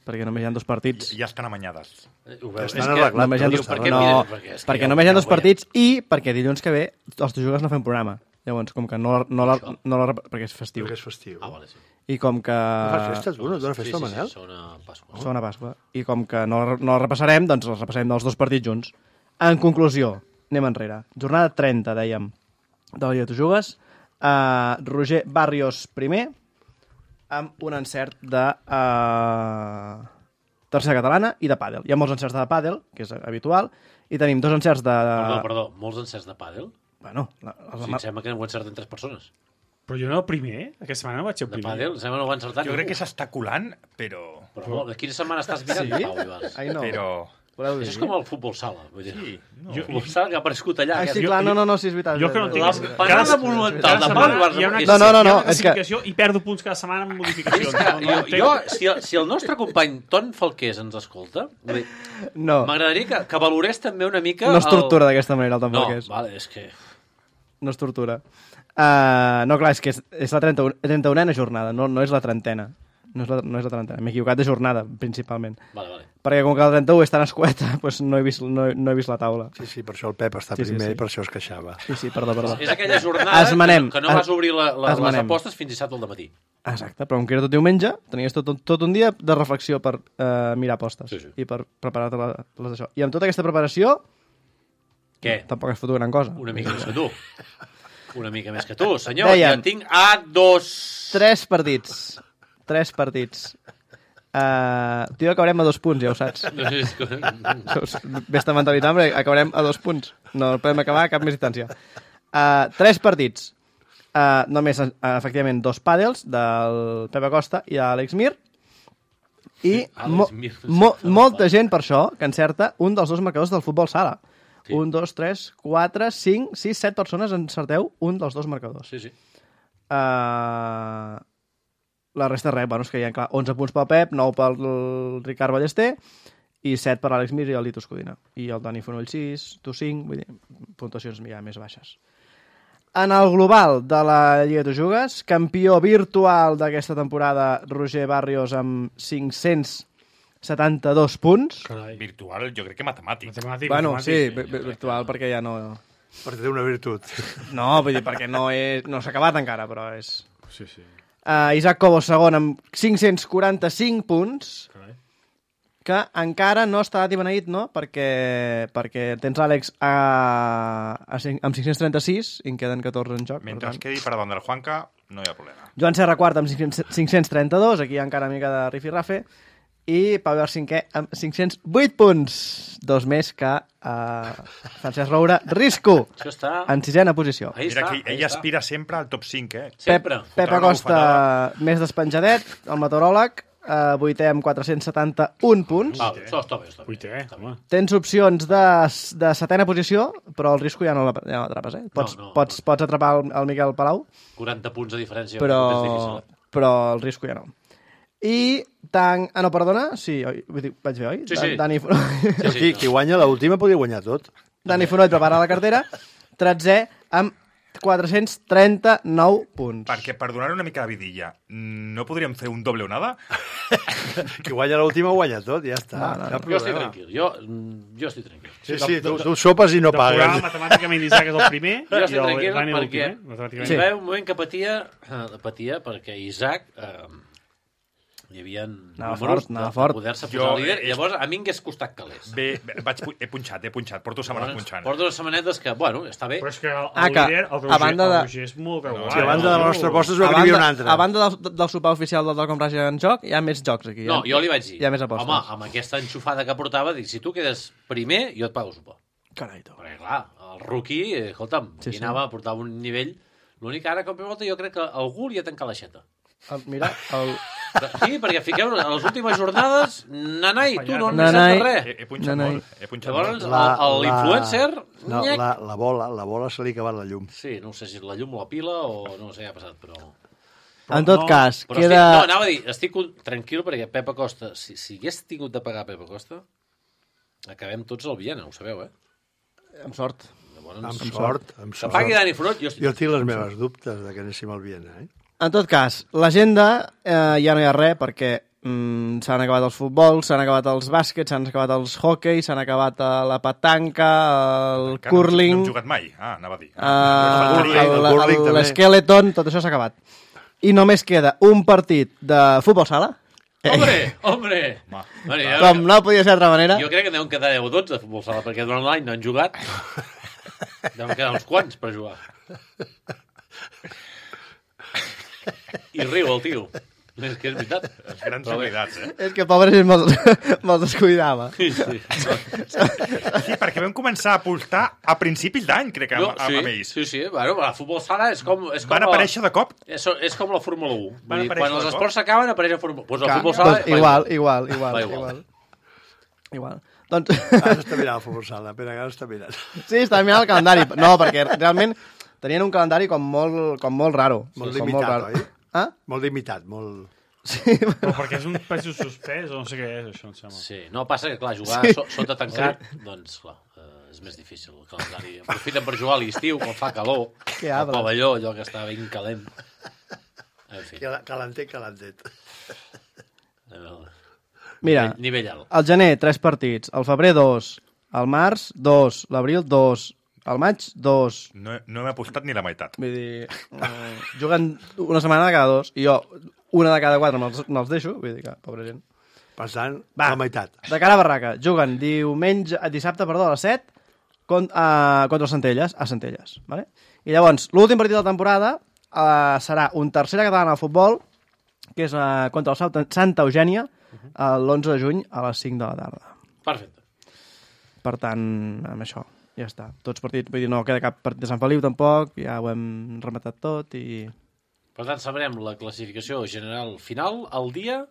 Perquè només hi ha dos partits. Ja estan amanyades. Eh, Ho veus? Estan És que- arreglat. Només hi ha Diu, dos, per què no, mires? Perquè és que perquè ja- només hi ha ja dos ho veiem. partits i perquè dilluns que ve els Jugues no fem programa. Llavors, com que no, no, la, no la, perquè és festiu. Perquè és festiu. Ah, vale, sí. I com que... No fas festa, tu? No et dona Sí, festa, sí, Manel? sí, segona Pasqua. Segona Pasqua. I com que no, la- no la repassarem, doncs els repassarem dels dos partits junts. En conclusió, anem enrere. Jornada trenta, dèiem, de la Lliga de Jugues. Uh, Roger Barrios primer, amb un encert de uh, tercera catalana i de pàdel. Hi ha molts encerts de pàdel, que és habitual, i tenim dos encerts de... Perdó, perdó, molts encerts de pàdel? Bueno, la, O la, sigui, em sembla que ho encerten tres persones. Però jo no el primer, aquesta setmana no vaig ser el De primer. pàdel, em sembla que no ho ha encertat Jo crec ningú. que s'està colant, però... Però, de quina setmana estàs mirant, Sí? Pau Ibarz? Ai, no. però... Voleu dir? Això és com el futbol sala. Vull dir. Sí, no. El futbol sala que ha aparegut allà. Ai, que sí, és- clar, no, no, no, sí, és veritat. Jo que no és tinc... veritat. La parada monumental de Pau Ibarz. Hi ha una, és- No, no, no, hi ha no, una és que- classificació i perdo punts cada setmana amb És modificacions. que No, no, jo, entenc. jo si, el, si el nostre company Ton Falqués ens escolta, vull dir, No, m'agradaria que, que valorés també una mica... no es tortura el... d'aquesta manera, el No, tampoc és. vale, és que... No es tortura. Uh, no, clar, és que és, és la trenta-unena jornada, no, no és la trentena. No és la, no és la trentena. M'he equivocat de jornada, principalment. Vale, vale. Perquè com que la trenta-u és tan escueta, doncs no he vist, no, he- no he vist la taula. Sí, sí, per això el Pep està Sí, sí, primer sí. i per això es queixava. Sí, sí, perdó, perdó. És aquella jornada Esmenem. que, que no vas obrir la, la, les Esmenem. apostes fins dissabte al matí. Exacte, però com que era tot diumenge, tenies tot, tot un dia de reflexió per uh, mirar apostes Sí, sí. i per preparar-te la- les d'això. I amb tota aquesta preparació, Què? tampoc has fotut gran cosa. Una mica més que tu. Una mica més que tu, senyor. Dèiem. Ja tinc a dos... Tres partits. Tres partits. Uh, tio, acabarem a dos punts, ja ho saps. Ves-te mentalitat, perquè acabarem a dos punts. No podem acabar a cap més distància. Uh, tres partits. Uh, només, uh, efectivament, dos pàdels del Pep Acosta i de l'Àlex Mir. I Àlex mo Mir. mo molta gent, per això, que encerta un dels dos marcadors del futbol sala. Un, dos, tres, quatre, cinc, sis, set persones encerteu un dels dos marcadors. Sí, sí. Uh, la resta res, bueno, és que hi ha clar, onze punts pel Pep, nou pel Ricard Ballester i set per l'Àlex Mir i el Litos Codina. I el Dani Fonoll sis, tu cinc, vull dir, puntuacions ja més baixes. En el global de la Lliga de Jugues, campió virtual d'aquesta temporada, Roger Barrios amb cinc-cents setanta-dos punts. Carai. Virtual, jo crec que matemàtic. Matemàtic, Bueno, matemàtic. sí, vi- virtual perquè ja no... Perquè té una virtut. No, vull dir, perquè no, és, no s'ha acabat encara, però és... Sí, sí. Uh, Isaac Cobos segon amb cinc-cents quaranta-cinc punts, Carai. que encara no està i beneït, no? Perquè, perquè tens Àlex a, a cinc, amb cinc-cents trenta-sis i en queden catorze en joc. Mentre per es quedi per davant del Juanca, no hi ha problema. Joan Serra quart amb cinc-cents trenta-dos, aquí hi ha encara una mica de rifirrafe, i Pau Ibar cinquè amb cinc-cents vuit punts, dos més que uh, Francesc Roura Risco, Això està... en sisena posició. Ahí Mira està, que ahí ell està. aspira sempre al top cinc, eh? Sempre. Pep, Pep Fotrà una Acosta bufetada. més despenjadet, el meteoròleg, uh, vuitè amb quatre-cents setanta-un punts. Ah, això està bé, està bé. Vuitè, home. Tens opcions de, de setena posició, però el risco ja no la- ja no l'atrapes, eh? Pots, No, no, pots, pots atrapar el, el Miquel Palau, quaranta punts de diferència. però, és difícil. eh? però el risco ja no. I tant... Ah, no, perdona? Sí, oi, vull dir, vaig bé, oi? Sí, sí. Dani, Fonoll, Sí, sí, Qui, qui guanya l'última podria guanyar tot. Dani Fonoll prepara la cartera, tretzè amb quatre-cents trenta-nou punts. Perquè, per donar una mica de vidilla, no podríem fer un doble onada? Qui guanya l'última guanya tot, ja està. No, no, no. Cap Jo estic problema. tranquil. Jo, mm, jo estic tranquil. Sí, sí, tu, tu sopes i no De programa, pagues. matemàticament, Isaac és el primer Jo i estic el tranquil Dani perquè l'últim, eh? Matemàticament. hi va haver un moment que patia, eh, patia perquè Isaac eh, hi havia Anava números fort, anava de, fort. de poder-se Jo, posar líder. eh, Llavors, a mi m'hagués costat calés. Bé, bé, vaig, pu- he punxat, he punxat, porto setmanes punxant. Porto unes setmanetes que, bueno, està bé. Però és que el, Ah, el que líder, el a Roger, banda el de- Roger és molt regular. Sí, a banda de la nostra aposta es A veu que n'hi havia banda, una altra. a banda del, del sopar oficial del Telcom Raja en joc, hi ha més jocs aquí. No, hi ha, jo li vaig dir, Hi ha més apostes. home, amb aquesta enxufada que portava, dic, si tu quedes primer, jo et pago sopar. Carai, tu. Perquè, clar, el rookie, eh, escolta'm, Sí, sí, sí. anava a portar un nivell... L'únic que ara, cop i volta, jo crec que algú li ha tancat l'aixeta. El, mira, el... Sí, perquè fiqueu a les últimes jornades, nanai, tu no Nanai. necessites res. He, he punxat No, no. molt, he punxat Llavors, molt. La- el- l'influencer, No, nyec. la, la bola, la bola se li ha acabat la llum. Sí, no sé si és la llum o la pila o no sé què ha passat, però... En tot no, cas, Però queda... estic, no, anava a dir, estic con- tranquil perquè Pep Acosta, si, si hagués tingut de pagar Pep Acosta, acabem tots al Viena, ho sabeu, eh? Amb sort. Llavors, Amb sort, amb que sort. pagui Dani Forot, jo estic... Jo tinc les meves dubtes de que anéssim al Viena, eh? En tot cas, l'agenda eh, ja no hi ha res perquè mm, s'han acabat els futbols, s'han acabat els bàsquets, s'han acabat els hockey, s'han acabat eh, la petanca, el Encara curling, No hem jugat mai. Ah, anava a dir. eh, el curling, el el- curling el- també. l'skeleton, tot això s'ha acabat. I només queda un partit de futbol sala, Hombre, hombre! Home. Bueno, jo, com no podia ser d'altra manera. jo crec que deuen quedar deu o dotze de futbol sala, perquè durant l'any no han jugat. Deuen quedar uns quants per jugar. I riu el tio. És que és veritat. Les grans Però bé. habilitats, eh? És que pobre gent me'ls me descuidava. Sí, sí. Sí, perquè vam començar a apostar a principis d'any, crec que, No, amb, amb, sí, amb ells. sí, sí. Bueno, el futbol sala és com... És com Van la- aparèixer de cop. És, és com la Fórmula u. Van Vull dir, aparèixer quan els de cop. esports s'acaben, apareix la Fórmula u. Pues el Clar, futbol sala... doncs, va igual, igual, igual, Va igual. igual. Igual. Doncs, Ara està mirant el futbol sala, Pere, ara està mirant. sí, estava mirant el calendari. No, perquè realment tenien un calendari com molt, com molt raro. Molt com limitat, raro. oi? Ah? Molt limitat, molt... Sí, Però perquè és un peso suspès o no sé què és, això, em sembla. Sí, no, passa que, clar, jugar Sí. sí. sota tancat, doncs, clar, eh, és més difícil el calendari. Aprofiten per jugar a l'estiu, quan fa calor, Que al arbre. pavelló, allò que està ben calent. En fi, Cal- Calentet, calentet. a veure, mira, nivell, nivell alt. al gener, tres partits. Al febrer, dos. Al març, dos. L'abril, dos. Al maig, dos. No, no hem apostat ni la meitat. Vull dir, eh, juguen una setmana de cada dos. I jo, una de cada quatre me'ls me deixo. Vull dir que, pobra gent. Per tant, Va. la meitat. De cara a Barraca, juguen diumenge, eh, dissabte, perdó, a les set, con, uh, contra el Centelles, a Centelles. Vale? I llavors, l'últim partit de la temporada uh, serà un tercera catalana de futbol, que és uh, contra el Santa- Santa Eugènia, uh, l'onze de juny a les cinc de la tarda. Perfecte. Per tant, amb això, ja està. Tots partits, vull dir, no queda cap partit de Sant Feliu tampoc, ja ho hem rematat tot i... Per tant, sabrem la classificació general final el dia...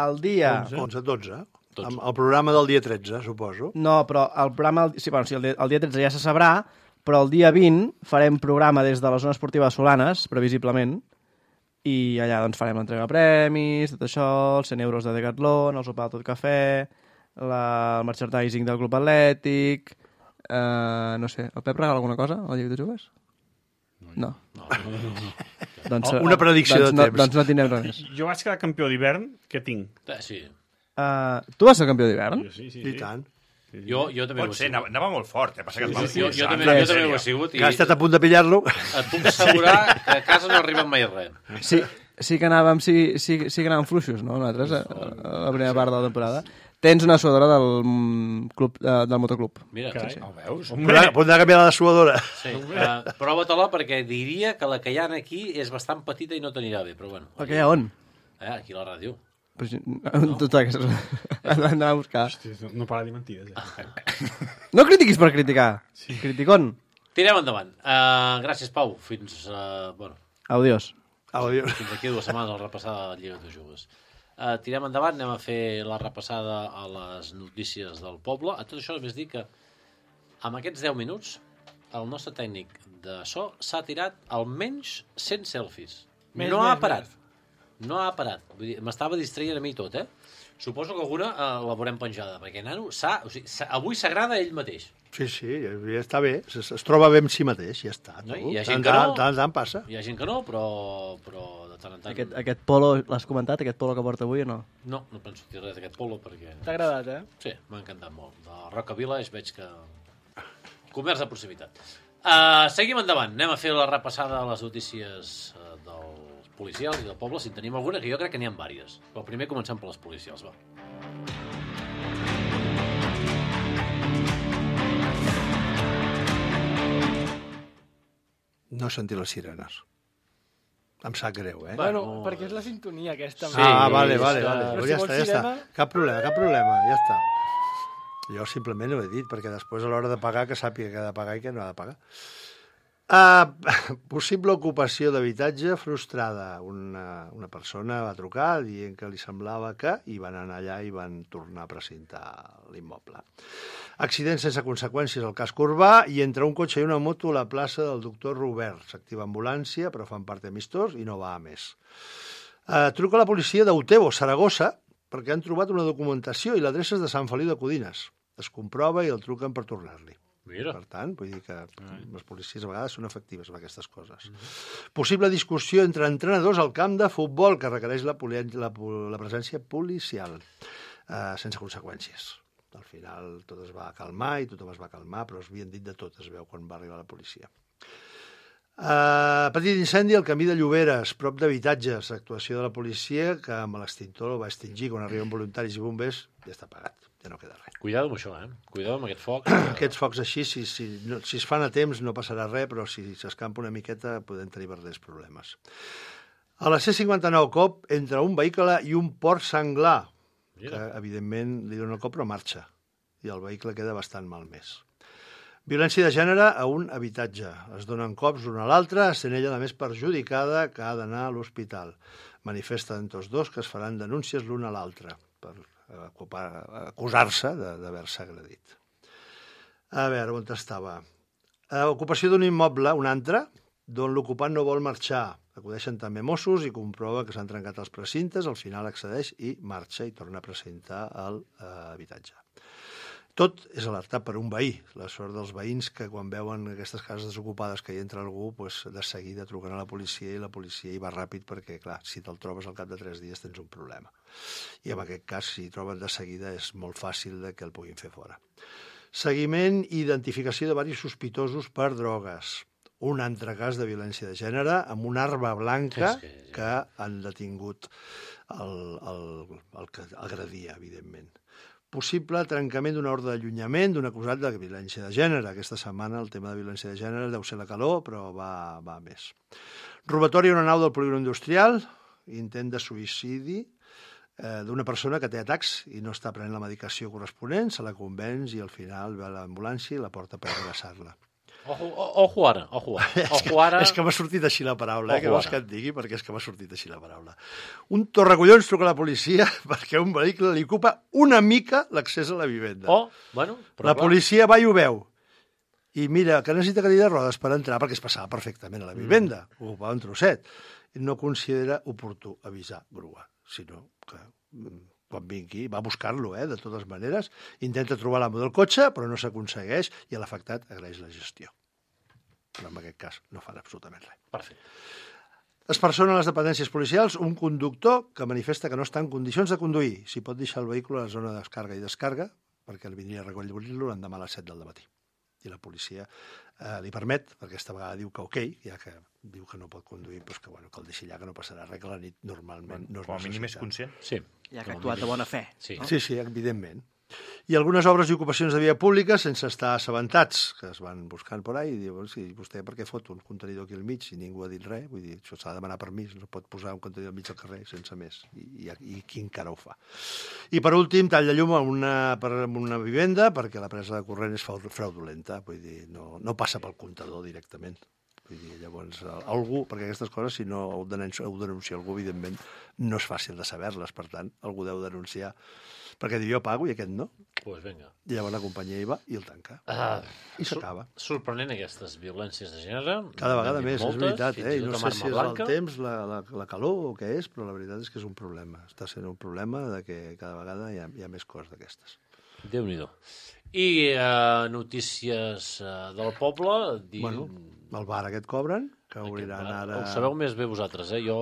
El dia... onze, dotze. Dotze. Amb el programa del dia tretze, suposo. No, però el programa... el- Sí, bueno, sí, el, dia, el dia tretze ja se sabrà, però el dia vint farem programa des de la zona esportiva de Solanes, previsiblement, i allà doncs farem l'entrega de premis, tot això, els cent euros de Decathlon, el sopar de tot cafè, la, el merchandising del Club Atlètic, eh, no sé, el Pep regala alguna cosa al Lliga de Joves? No. No, no, no, no. Doncs, Una predicció doncs, de no, temps. doncs no tindrem res més. Jo vaig quedar campió d'hivern, què tinc? Eh, Sí. Uh, tu vas ser campió d'hivern? Jo sí, sí, I sí. tant. Jo, jo també ho Pot he ser, sigut. anava, anava molt fort, eh? Passa que es va Jo, jo, expulsar, també, en jo també sèrio. ho he sigut i Que ha estat a punt de pillar-lo. et puc assegurar que a casa no arriba mai res. Sí, sí que anàvem, sí, sí, sí que anàvem fluixos, no? Nosaltres, a, a la primera part de la temporada. Tens una suadora del, mm, club, eh, del motoclub. Mira, Carai. sí, sí. Ho veus? Podrà, podrà canviar la suadora. Sí. Uh, prova-te-la perquè diria que la que hi ha aquí és bastant petita i no t'anirà bé, però bueno. El que hi ha on? Eh, aquí a la ràdio. Però, si- no. Tot aquestes... L'hem d'anar a buscar. Hosti, no, no para de dir mentides. Eh? No critiquis per criticar. Sí. Criticón. Tirem endavant. Uh, gràcies, Pau. Fins, uh, bueno, Adiós. Audio. fins aquí dues setmanes al repassada de la Lliga de Joves. Uh, tirem endavant, anem a fer la repassada a les notícies del poble. A tot això només dir que amb aquests deu minuts el nostre tècnic de so s'ha tirat almenys cent selfies. Més, no ha més, parat. No ha parat. Vull dir, m'estava distraient a mi tot, eh? Suposo que alguna uh, la veurem penjada, perquè nano, s'ha, o sigui, s'ha, avui s'agrada ell mateix. Sí, sí, ja, ja està bé. Es, es troba bé amb si mateix, ja està. No? tu. Hi ha Tant, gent que no. tant, tant, tant passa. Hi ha gent que no, però, però de tant en tant... Aquest, aquest polo, l'has comentat, aquest polo que porta avui o no? No, no penso dir res d'aquest polo, perquè... T'ha agradat, eh? Sí, m'ha encantat molt. De Roca Village veig que... Comerç de proximitat. Uh, seguim endavant. Anem a fer la repassada a les notícies uh, dels policials i del poble, si en tenim alguna, que jo crec que n'hi ha diverses. Però primer comencem per les policials, va. No he sentit les sirenes. Em sap greu, eh? Bueno, no, perquè és la sintonia aquesta. Sí, ah, vale, és vale, que- vale. Però Pues si ja vols està, ja està. sirena- Cap problema, cap problema, ja està. Jo simplement ho he dit, perquè després a l'hora de pagar que sàpiga què ha de pagar i què no ha de pagar. Uh, possible ocupació d'habitatge frustrada. Una, una persona va trucar dient que li semblava que i van anar allà i van tornar a precintar l'immoble. Accident sense conseqüències al casc urbà i entre un cotxe i una moto a la plaça del doctor Robert. S'activa ambulància, però fan part amistós i no va a més. Uh, truca a la policia d'Utebo, Saragossa, perquè han trobat una documentació i l'adreça és de Sant Feliu de Codines. Es comprova i el truquen per tornar-li. Mira. Per tant, vull dir que les policies a vegades són efectives amb aquestes coses. Possible discussió entre entrenadors al camp de futbol que requereix la, poli la, la presència policial, eh, sense conseqüències. Al final tot es va calmar i tothom es va calmar, però es havien dit de tot, es veu, quan va arribar la policia. Uh, petit incendi al camí de Lloberes, prop d'habitatges. Actuació de la policia que amb l'extintor el va extingir. Quan arriben voluntaris i bombers ja està apagat, ja no queda res. Cuidado amb això, eh? Cuidado amb aquest foc. Aquests focs així, si, si, no, si es fan a temps no passarà res, però si s'escampa una miqueta podem tenir verdaders problemes. A la C cinquanta-nou cop entre un vehicle i un port senglar, que evidentment li dona el cop però marxa, i el vehicle queda bastant malmès. Violència de gènere a un habitatge. Es donen cops l'un a l'altre, sent ella la més perjudicada que ha d'anar a l'hospital. Manifesten tots dos que es faran denúncies l'un a l'altre per acusar-se d'haver-se agredit. A veure, on estava? Uh, ocupació d'un immoble, un altre, d'on l'ocupant no vol marxar. Acudeixen també Mossos i comprova que s'han trencat els precintes, al final accedeix i marxa i torna a precintar l'habitatge. Tot és alertat per un veí. La sort dels veïns que quan veuen aquestes cases desocupades que hi entra algú, doncs de seguida truquen a la policia i la policia hi va ràpid perquè, clar, si te'l trobes al cap de tres dies tens un problema. I en aquest cas, si troben de seguida, és molt fàcil de que el puguin fer fora. Seguiment i identificació de diversos sospitosos per drogues. Un altre cas de violència de gènere amb una arma blanca que han detingut el, el, el que agredia, evidentment. Possible trencament d'una ordre d'allunyament d'un acusat de violència de gènere. Aquesta setmana el tema de violència de gènere deu ser la calor, però va, va més. Robatori a una nau del polígon industrial, intent de suïcidi eh, d'una persona que té atacs i no està prenent la medicació corresponent, se la convenç i al final ve a l'ambulància i la porta per abraçar-la. Ojo, ojo ara, ojo ara. Ojo ara. És que m'ha sortit així la paraula, eh, que Ojo vols ara. que et digui, perquè és que m'ha sortit així la paraula. Un torracollons truca a la policia perquè un vehicle li ocupa una mica l'accés a la vivenda. Oh, bueno, però La clar. policia va i ho veu. i mira, que necessita cadira de rodes per entrar, perquè es passava perfectament a la vivenda, mm. ocupava un trosset. No considera oportú avisar grua, sinó que quan vingui va a buscar-lo, eh, de totes maneres, intenta trobar l'amo del cotxe, però no s'aconsegueix, i l'afectat agraeix la gestió. Però en aquest cas no fan absolutament res. Perfecte. Es persona a les dependències policials un conductor que manifesta que no està en condicions de conduir. Si pot deixar el vehicle a la zona de descarga i descarga, perquè el vindria a recollir-lo l'endemà a les set del matí. I la policia eh, li permet, perquè aquesta vegada diu que ok, ja que diu que no pot conduir, doncs que, bueno, que el deixi allà, que no passarà res, que la nit normalment Bueno, no es com a mínim és necessita. conscient. Sí. Ja que ha actuat de bona fe. Sí. No? Sí, sí, evidentment. I algunes obres i ocupacions de via pública sense estar assabentats, que es van buscant por ahí, i diuen, sí, vostè per què fot un contenidor aquí al mig i ningú ha dit res? Vull dir, això s'ha de demanar permís, no pot posar un contenidor al mig del carrer sense més. I, i, i qui encara ho fa? I per últim, tall de llum a una, per una vivenda, perquè la presa de corrent és fraudulenta, vull dir, no, no passa pel comptador directament. Vull dir, llavors, algú, perquè aquestes coses, si no ho denuncia, ho denuncia algú, evidentment, no és fàcil de saber-les, per tant, algú deu denunciar, perquè diu, jo pago i aquest no. Doncs pues vinga. I llavors la companyia hi va i el tanca. Ah, I s'acaba. Sorprenent aquestes violències de gènere. Cada vegada N'hem més, vist és veritat. fins Eh? i I tot no amb sé arma si és blanca. el temps, la, la, la calor o què és, però la veritat és que és un problema. Està sent un problema de que cada vegada hi ha, hi ha més coses d'aquestes. Déu-n'hi-do. I uh, notícies uh, del poble... Di... Bueno, el bar aquest cobren, que Aquest obriran bar, ara... Ho sabeu més bé vosaltres, eh? Jo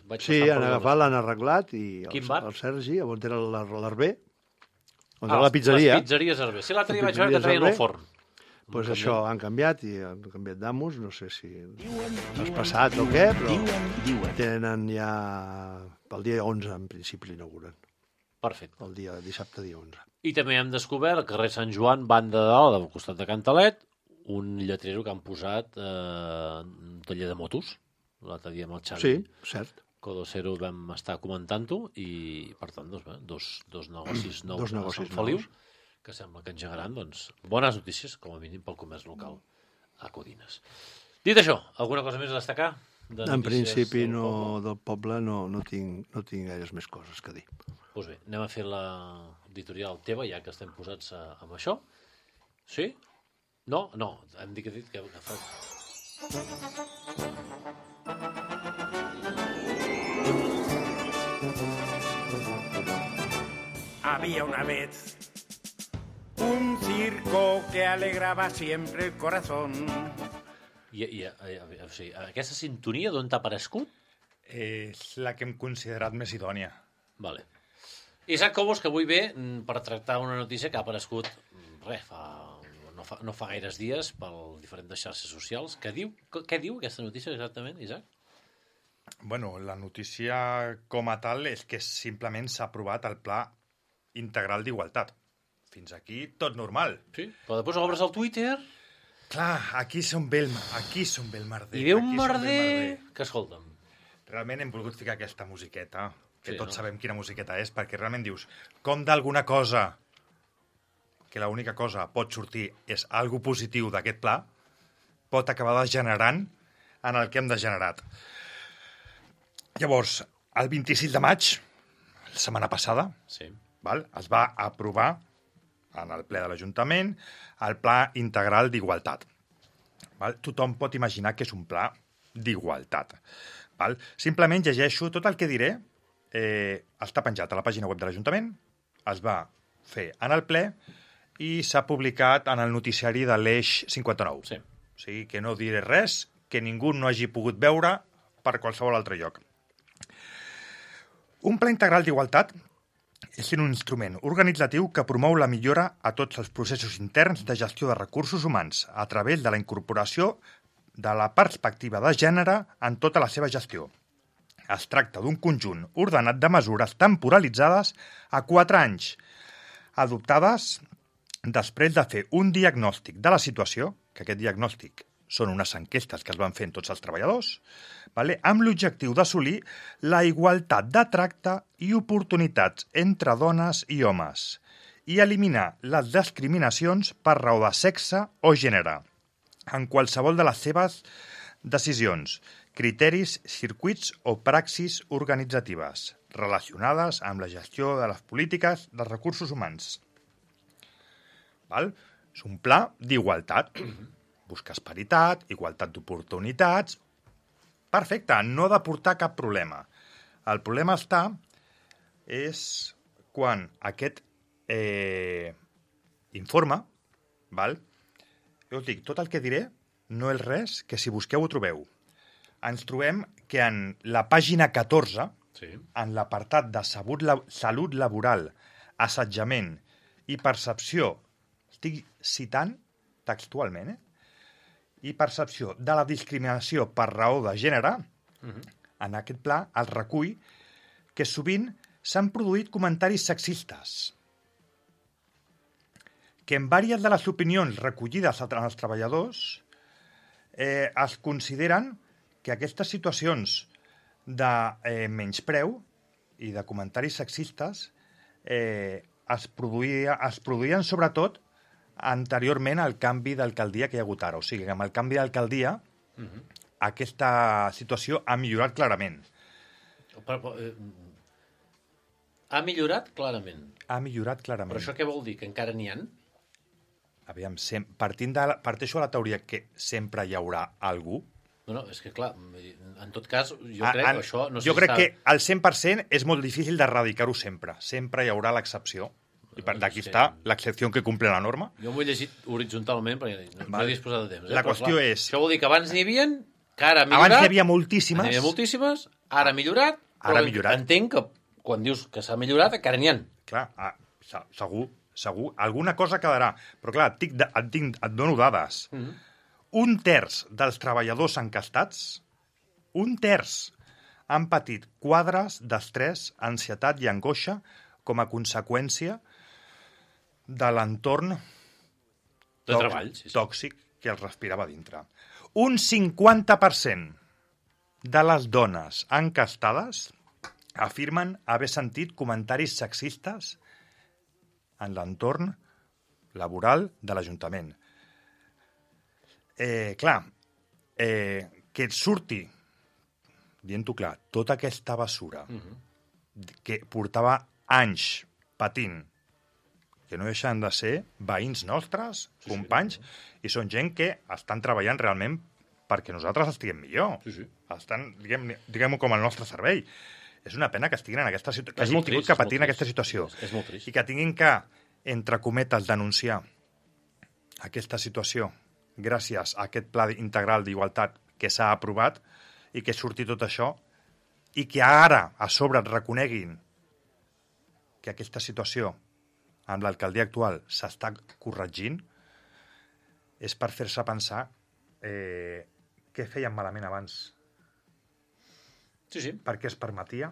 vaig Sí, passant han per agafat, l'han arreglat i Quin el, bar? el Sergi, on era l'Arber, on Ah, era la pizzeria, Les pizzeries Hervé. Sí, l'altre dia Les vaig veure que pizzeries traien el Hervé. forn. doncs Un això, camió. han canviat i han canviat d'amos, no sé si has passat o què, però tenen ja... El dia onze, en principi, l'inauguren. Perfecte. El dia dissabte, dia onze. I també hem descobert al carrer Sant Joan, banda de dalt, al costat de Cantalet, un lletrero que han posat eh, un taller de motos. L'altre dia amb el Xavi Sí, cert. Codocero vam estar comentant-ho i, per tant, doncs, bé, dos, dos negocis nous Dos a negocis Sant Feliu, nous. que sembla que engegaran, doncs, bones notícies, com a mínim, pel comerç local a Codines. Dit això, alguna cosa més a destacar? De En notícies principi, del no, poble? del poble no, no, tinc, no tinc gaires més coses que dir. Doncs bé, anem a fer l'editorial teva, ja que estem posats a, amb això. Sí? No? No, hem dit que... que, que fa... Había una vez un circo que alegraba siempre el corazón. I, i, i, o sigui, aquesta sintonia d'on t'ha aparegut? És la que hem considerat més idònia. Vale. Isaac Cobos, que avui ve mm, per tractar una notícia que ha aparegut mm, res, fa, no, fa, no fa gaires dies per diferents xarxes socials. Què diu, què diu aquesta notícia exactament, Isaac? Bueno, la notícia com a tal és que simplement s'ha aprovat el Pla Integral d'Igualtat. Fins aquí tot normal. Sí. Però després obres el Twitter Clar, aquí som bé el, aquí som bé el merder. i ve un aquí som bé el merder que, escolta'm, Realment hem volgut ficar aquesta musiqueta, que Sí, tots no? sabem quina musiqueta és, perquè realment dius, com d'alguna cosa, que l'única cosa pot sortir és algo positiu d'aquest pla, pot acabar degenerant en el que hem degenerat. Llavors, el vint-i-sis de maig, la setmana passada, sí. val, es va aprovar en el ple de l'Ajuntament el Pla Integral d'Igualtat. Val? Tothom pot imaginar que és un pla d'igualtat. Val? Simplement llegeixo tot el que diré, eh, està penjat a la pàgina web de l'Ajuntament, es va fer en el ple i s'ha publicat en el noticiari de l'Eix cinquanta-nou. Sí. O sigui que no diré res que ningú no hagi pogut veure per qualsevol altre lloc. Un pla integral d'igualtat és un instrument organitzatiu que promou la millora a tots els processos interns de gestió de recursos humans a través de la incorporació de la perspectiva de gènere en tota la seva gestió. Es tracta d'un conjunt ordenat de mesures temporalitzades a quatre anys, adoptades després de fer un diagnòstic de la situació, que aquest diagnòstic són unes enquestes que es van fer en tots els treballadors, vale? Amb l'objectiu d'assolir la igualtat de tracte i oportunitats entre dones i homes i eliminar les discriminacions per raó de sexe o gènere en qualsevol de les seves decisions, criteris, circuits o praxis organitzatives relacionades amb la gestió de les polítiques dels recursos humans. Val? És un pla d'igualtat. Busques paritat, igualtat d'oportunitats... Perfecte, no ha de portar cap problema. El problema està és quan aquest eh, informe, val? Jo us dic, tot el que diré no és res que si busqueu ho trobeu. Ens trobem que en la pàgina catorze, sí. En l'apartat de salut, salut laboral, assetjament i percepció, estic citant textualment, eh? I percepció de la discriminació per raó de gènere, uh-huh. En aquest pla es recull que sovint s'han produït comentaris sexistes, que en diverses de les opinions recollides als treballadors eh, es consideren que aquestes situacions de eh, menyspreu i de comentaris sexistes eh, es, produïa, es produïen sobretot anteriorment al canvi d'alcaldia que hi ha hagut ara. O sigui, que amb el canvi d'alcaldia uh-huh. Aquesta situació ha millorat clarament. Però, però, eh, ha millorat clarament? Ha millorat clarament. Però això què vol dir? Que encara n'hi ha? Aviam, sem- partint de la, parteixo de la teoria que sempre hi haurà algú. No, no, és que clar, en tot cas, jo A, crec en, que això... No sé jo si crec està... que al cent per cent és molt difícil d'erradicar-ho sempre. Sempre hi haurà l'excepció. I per d'aquí Sí. està l'excepció que cumple la norma. Jo m'ho he llegit horitzontalment perquè no, no Vale. he disposat de temps. Eh? La Però, qüestió clar, és- Això vol dir que abans n'hi havia, que ara ha millorat... Abans n'hi havia moltíssimes. N'hi havia moltíssimes, ara ha millorat... Ara ha però millorat. Entenc que quan dius que s'ha millorat, encara n'hi ha. Clar, ah, se- segur, segur. Alguna cosa quedarà. Però clar, et, dic, de- et, dic, et dono dades. Mm-hmm. Un terç dels treballadors encastats, un terç, han patit quadres d'estrès, ansietat i angoixa com a conseqüència de l'entorn De treball, sí, sí. tòxic que els respirava dintre. Un cinquanta per cent de les dones encastades afirmen haver sentit comentaris sexistes en l'entorn laboral de l'Ajuntament. Eh, clar, eh, que et surti, dient-ho clar, tota aquesta basura uh-huh. que portava anys patint, que no deixen de ser veïns nostres, sí, companys, sí, no. I són gent que estan treballant realment perquè nosaltres estiguem millor. Sí, sí. Estan, diguem, diguem-ho com el nostre servei. És una pena que estiguin en aquesta situació, que És hagin molt tingut trist, que patir és en molt aquesta trist. situació. És, és molt trist. I que tinguin que, entre cometes, denunciar aquesta situació gràcies a aquest pla integral d'igualtat que s'ha aprovat i que surti tot això i que ara, a sobre, et reconeguin que aquesta situació amb l'alcaldia actual s'està corregint, és per fer-se pensar eh, què feien malament abans. Sí, sí. Per què es permetia?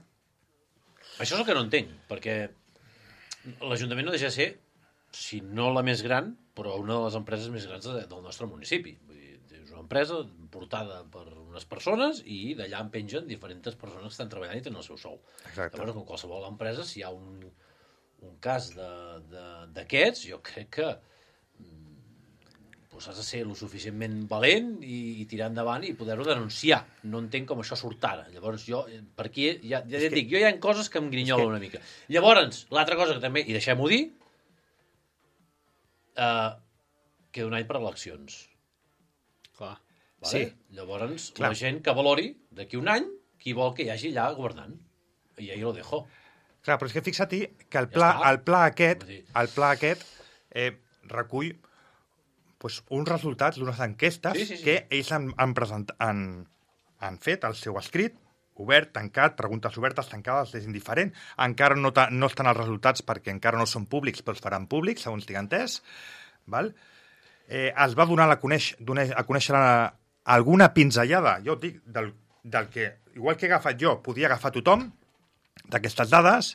Això és el que no entenc, perquè l'Ajuntament no deixa de ser, si no la més gran, però una de les empreses més grans de, del nostre municipi. Vull dir, és una empresa portada per unes persones i d'allà en pengen diferents persones que estan treballant i tenen el seu sou. Exacte. Llavors, com qualsevol empresa, si hi ha un, un cas d'aquests, jo crec que doncs has de ser lo suficientment valent i, i tirar endavant i poder-ho denunciar. No entenc com això surt ara. Llavors, jo, per aquí, ja, ja, ja et dic, jo hi ha coses que em grinyolen que... una mica. Llavors, l'altra cosa que també, i deixem-ho dir, uh, queda un any per eleccions. Clar. Vale? Sí. Llavors, Clar. la gent que valori, d'aquí un any, qui vol que hi hagi allà governant. I ahí lo dejo. Clar, però és que fixa-t'hi que el Ja pla, està. el pla aquest, Vull dir- el pla aquest eh, recull pues, uns resultats d'unes enquestes Sí, sí, sí. que ells han, han, present, han, han fet el seu escrit, obert, tancat, preguntes obertes, tancades, és indiferent. Encara no, ta, no estan els resultats perquè encara no són públics, però els faran públics, segons tinc entès. Val? Eh, es va donar a, conèixer, donar a conèixer la, alguna pinzellada, jo et dic, del, del que, igual que he agafat jo, podia agafar tothom, d'aquestes dades,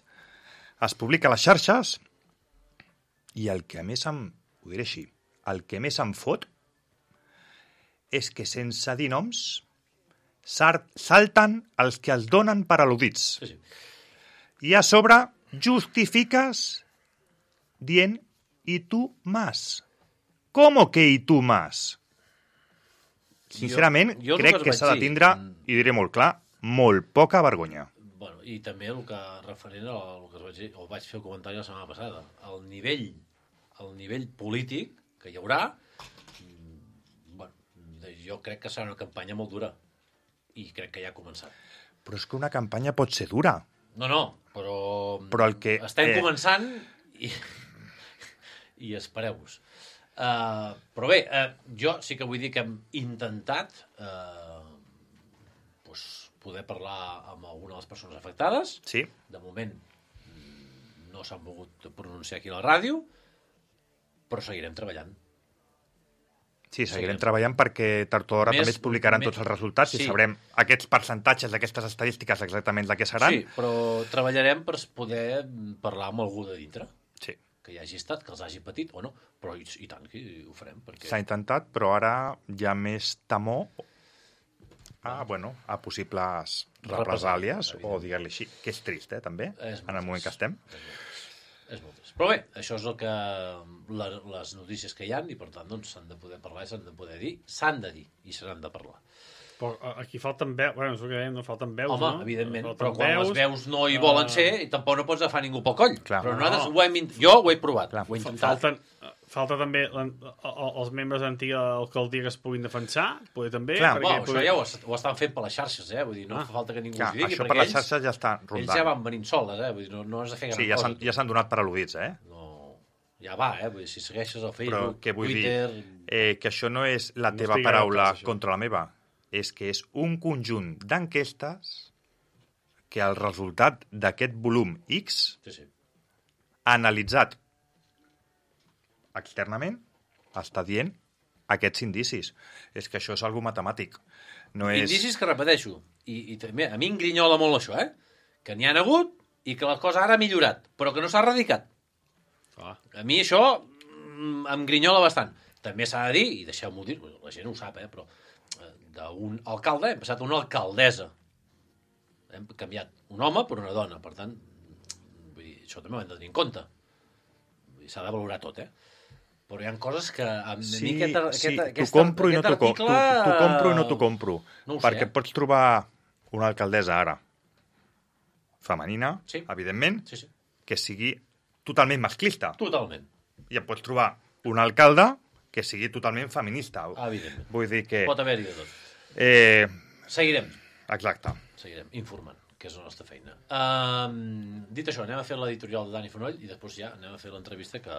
es publica a les xarxes, i el que més em, ho diré així, el que més em fot és que sense dir noms salten els que els donen per al·ludits. Sí, sí. I a sobre justifiques dient «y tú más». ¿Cómo que «y tú más»? Sincerament, Jo- jo el crec que que us s'ha de vaig dir, tindre, mm. i diré molt clar, molt poca vergonya. Bueno, i també el que referent al que us vaig dir, o vaig fer el comentari la setmana passada, el nivell, el nivell polític que hi haurà, bueno, jo crec que serà una campanya molt dura i crec que ja ha començat. Però és que una campanya pot ser dura. No, no, però, però el que, estem eh... començant i, i espereu-vos. Uh, però bé, uh, jo sí que vull dir que hem intentat uh, pues, poder parlar amb alguna de les persones afectades. Sí. De moment no s'han volgut pronunciar aquí a la ràdio, però seguirem treballant. Sí, seguirem treballant perquè tard o d'hora també es publicaran més, tots els resultats sí. i sabrem aquests percentatges d'aquestes estadístiques exactament de què seran. Sí, però treballarem per poder parlar amb algú de dintre. Sí. Que hi hagi estat, que els hagi patit o no, però i, i tant que ho farem. Perquè... S'ha intentat, però ara hi ha més temor a, bueno, a possibles represàlies, o dir-li així, que és trist, eh, també, en el moment que estem. És molt trist. Però bé, això és el que la, les notícies que hi ha i per tant doncs s'han de poder parlar i s'han de poder dir, s'han de dir i s'han de parlar. Però aquí falten veus, bueno, és el que dèiem, no falten veus, Home, no? evidentment, falten però quan veus, les veus no hi volen uh... ser, i tampoc no pots agafar ningú pel coll. Clar. Però no. nosaltres ho hem, jo ho he provat, Clar. ho he intentat. Falten, falta també els membres d'antiga alcaldia que es puguin defensar, poder també. Clar, perquè bueno, poder... això ja ho, ho estan fent per les xarxes, eh? Vull dir, no ah. fa falta que ningú Clar, us digui, això perquè per les ells, xarxes ja està rondant. ells ja van venint soles, eh? Vull dir, no, no has de fer gran sí, ja cosa. Sí, ja s'han donat per al·ludits, eh? No, ja va, eh? Vull dir, si segueixes el Facebook, Però què vull Twitter... dir? Eh, que això no és la No teva estic paraula cas, contra la meva. És que és un conjunt d'enquestes que el resultat d'aquest volum X Sí, sí. analitzat externament està dient aquests indicis. És que això és algo matemàtic. No és... Indicis que repeteixo. I, i també a mi em grinyola molt això, eh? Que n'hi ha hagut i que la cosa ara ha millorat, però que no s'ha erradicat. Ah. A mi això mm, em grinyola bastant. També s'ha de dir, i deixeu-m'ho dir, la gent ho sap, eh? Però d'un alcalde hem passat a una alcaldessa. Hem canviat un home per una dona. Per tant, vull dir, això també ho hem de tenir en compte. S'ha de valorar tot, eh? Però hi ha coses que... A sí, mi aquest, sí, aquest, t'ho compro i no t'ho article... t'ho compro i no t'ho compro. No ho perquè sé, eh? pots trobar una alcaldessa ara femenina, sí. evidentment, Sí, sí. que sigui totalment masclista. Totalment. I et pots trobar un alcalde que sigui totalment feminista. Evidentment. Vull dir que... Pot haver-hi de tot. Eh, Seguirem. exacte. Seguirem informant, que és la nostra feina. Um, dit això, anem a fer l'editorial de Dani Fonoll i després ja anem a fer l'entrevista que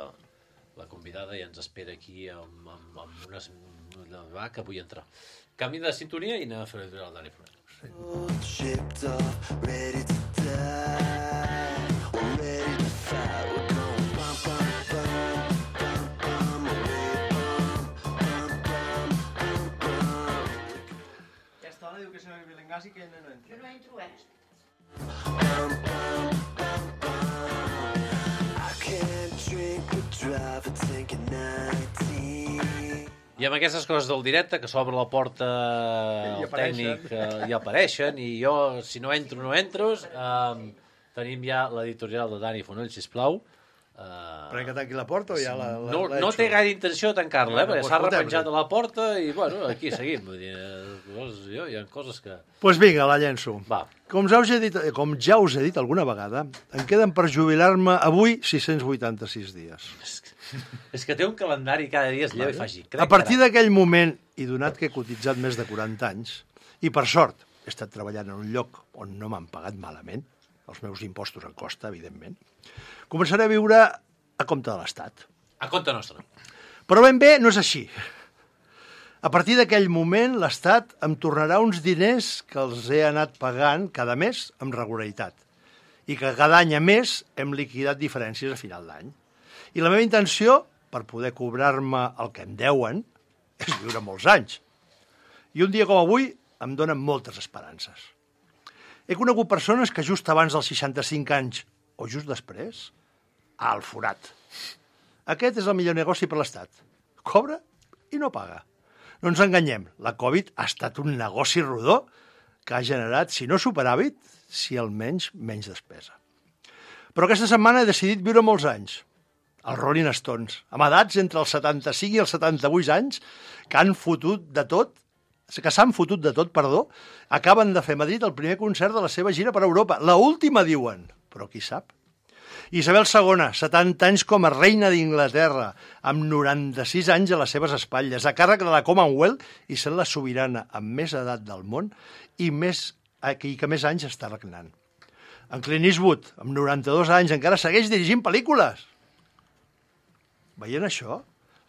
la convidada ja ens espera aquí amb, amb, amb unes... Va, que vull entrar. Canvi de sintonia i anem a fer l'editorial de Dani Fonoll. Shipped off, ready to die, ready to fight. We're going bum, bum, bum, bum, bum, away, bum, bum, bum, bum, bum. Aquesta dona diu que si no hi Bilengasi que no entra. Jo no entro, eh? Bum, bum, bum, bum. I can't drink or drive a tank at nineteen. I amb aquestes coses del directe, que s'obre la porta al tècnic eh, i apareixen, i jo, si no entro, no entro, eh, tenim ja l'editorial de Dani Fonoll, sisplau. Eh, Però que tanqui la porta o ja la... la no, la no té gaire intenció de tancar-la, eh, No, perquè doncs s'ha fotem-li. repenjat a la porta i, bueno, aquí seguim. Vull dir, eh, jo, hi ha coses que... Doncs pues vinga, la llenço. Va. Com ja, us he dit, com ja us he dit alguna vegada, em queden per jubilar-me avui sis-cents vuitanta-sis dies. És que té un calendari cada dia es lleva i faci. A partir d'aquell moment, i donat que he cotitzat més de quaranta anys, i per sort he estat treballant en un lloc on no m'han pagat malament, els meus impostos en costa, evidentment, començaré a viure a compte de l'Estat. A compte nostre. Però ben bé no és així. A partir d'aquell moment, l'Estat em tornarà uns diners que els he anat pagant cada mes amb regularitat i que cada any a més hem liquidat diferències a final d'any. I la meva intenció, per poder cobrar-me el que em deuen, és viure molts anys. I un dia com avui em donen moltes esperances. He conegut persones que just abans dels seixanta-cinc anys, o just després, al forat. Aquest és el millor negoci per l'Estat. Cobra i no paga. No ens enganyem, la Covid ha estat un negoci rodó que ha generat, si no superàvit, si almenys menys despesa. Però aquesta setmana he decidit viure molts anys. Els Rolling Stones, amb edats entre els setanta-cinc i els setanta-vuit anys, que han fotut de tot, que s'han fotut de tot, perdó, acaben de fer a Madrid el primer concert de la seva gira per Europa. La última, diuen, però qui sap? Isabel segona, setanta anys com a reina d'Inglaterra, amb noranta-sis anys a les seves espatlles, a càrrec de la Commonwealth i sent la sobirana amb més edat del món i, més, i que més anys està regnant. En Clint Eastwood, amb noranta-dos anys, encara segueix dirigint pel·lícules. Veient això,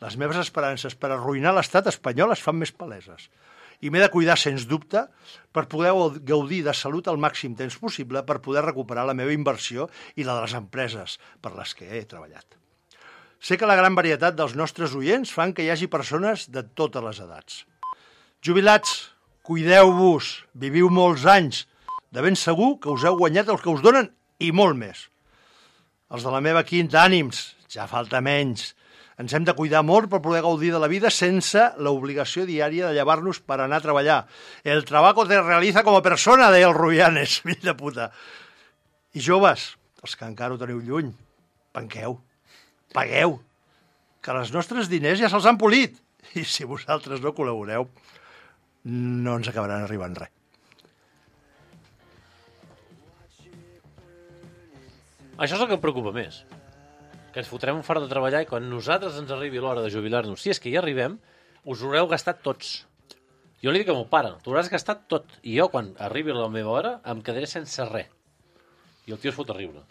les meves esperances per arruïnar l'estat espanyol es fan més paleses. I m'he de cuidar, sens dubte, per poder gaudir de salut al màxim temps possible per poder recuperar la meva inversió i la de les empreses per les que he treballat. Sé que la gran varietat dels nostres oients fan que hi hagi persones de totes les edats. Jubilats, cuideu-vos, viviu molts anys. De ben segur que us heu guanyat el que us donen i molt més. Els de la meva quinta ànims, ja falta menys. Ens hem de cuidar molt per poder gaudir de la vida sense l'obligació diària de llevar-nos per anar a treballar. El trabajo te realiza como persona, deia el Rubianes, fill de puta. I joves, els que encara ho teniu lluny, penqueu, pagueu, que els nostres diners ja se'ls han polit. I si vosaltres no col·laboreu, no ens acabaran arribant res. Això és el que em preocupa més. Que ens fotrem un fart de treballar i quan nosaltres ens arribi l'hora de jubilar-nos, si és que hi arribem, us haureu gastat tots. Jo li dic a meu pare, t'ho hauràs gastat tot. I jo, quan arribi la meva hora, em quedaré sense res. I el tio es fot a riure.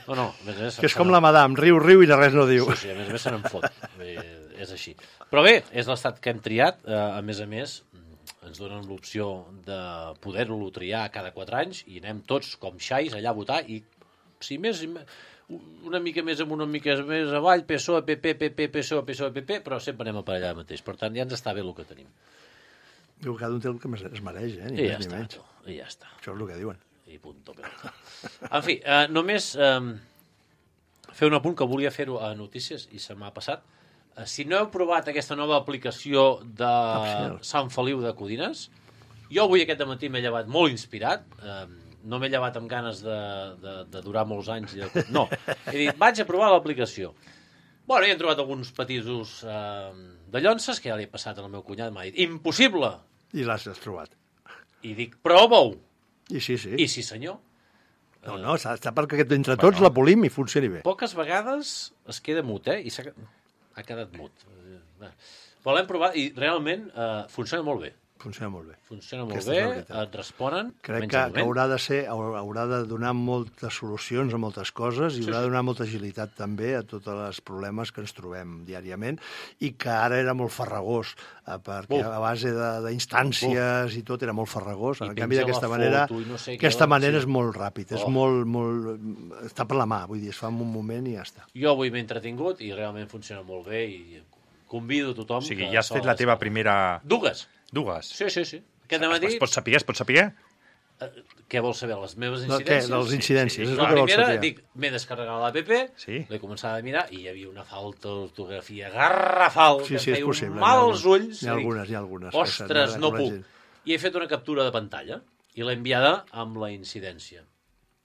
No, no, a més a més... Que és com la madame, riu, riu i de res no diu. Sí, sí, a més a més se n'en fot. Bé, és així. Però bé, és l'estat que hem triat. A més a més, ens donen l'opció de poder-lo triar cada quatre anys i anem tots com xais allà a votar i si més... una mica més amunt, una mica més avall, P S O E, P P, P P, P S O E, P S O E, P P, però sempre anem a per allà mateix. Per tant, ja ens està bé el que tenim. Diu que cada un té el que es mereix, eh? Ni I ja més ni està, menys. tu, i ja està. Això és el que diuen. I punto pelota. En fi, eh, només eh, fer un apunt que volia fer-ho a Notícies i se m'ha passat. Eh, si no heu provat aquesta nova aplicació de Opcional. Sant Feliu de Codines, jo avui aquest matí m'he llevat molt inspirat, eh, no m'he llevat amb ganes de, de, de durar molts anys. I de... No, he dit, vaig a provar l'aplicació. Bueno, hi he trobat alguns petits eh, de llonces, que ja li he passat al meu cunyat, m'ha dit, impossible! I l'has trobat. I dic, prova-ho! I sí, sí. I sí, senyor. No, no, està, està perquè entre tots la polim i funcioni bé. Poques vegades es queda mut, eh? I s'ha ha quedat mut. Però l'hem provat i realment eh, funciona molt bé. Funciona molt bé. Funciona molt Aquesta bé, és la veritat. et responen. Crec menys que, al que moment. haurà de ser, haurà haurà de donar moltes solucions a moltes coses i Sí, haurà sí. de donar molta agilitat també a tots els problemes que ens trobem diàriament i que ara era molt farragós, eh, perquè Uf. a base de- d'instàncies i tot era molt farragós. I En canvi, penja d'aquesta la manera, foto i no sé què, aquesta manera sí. és molt ràpid, és Oh. molt, molt... està per la mà, vull dir, es fa en un moment i ja està. Jo avui m'he entretingut i realment funciona molt bé i convido a tothom... O sigui, que ja has fet se la teva descarregui. primera... Dues. Dues. Sí, sí, sí. Aquest matí... Es pot saber, es pot saber? Eh, què vols saber? Les meves No, què? incidències? Dels incidències, és el La que vols primera, saber. dic, m'he descarregat l'app, Sí. l'he començat a mirar i hi havia una falta d'ortografia garrafal Sí, que sí, és em feia possible. un mal N'hi ha als ulls. N'hi ha i dic, algunes, n'hi ha algunes. que Ostres, s'han- no la puc. gent- I he fet una captura de pantalla i l'he enviada amb la incidència.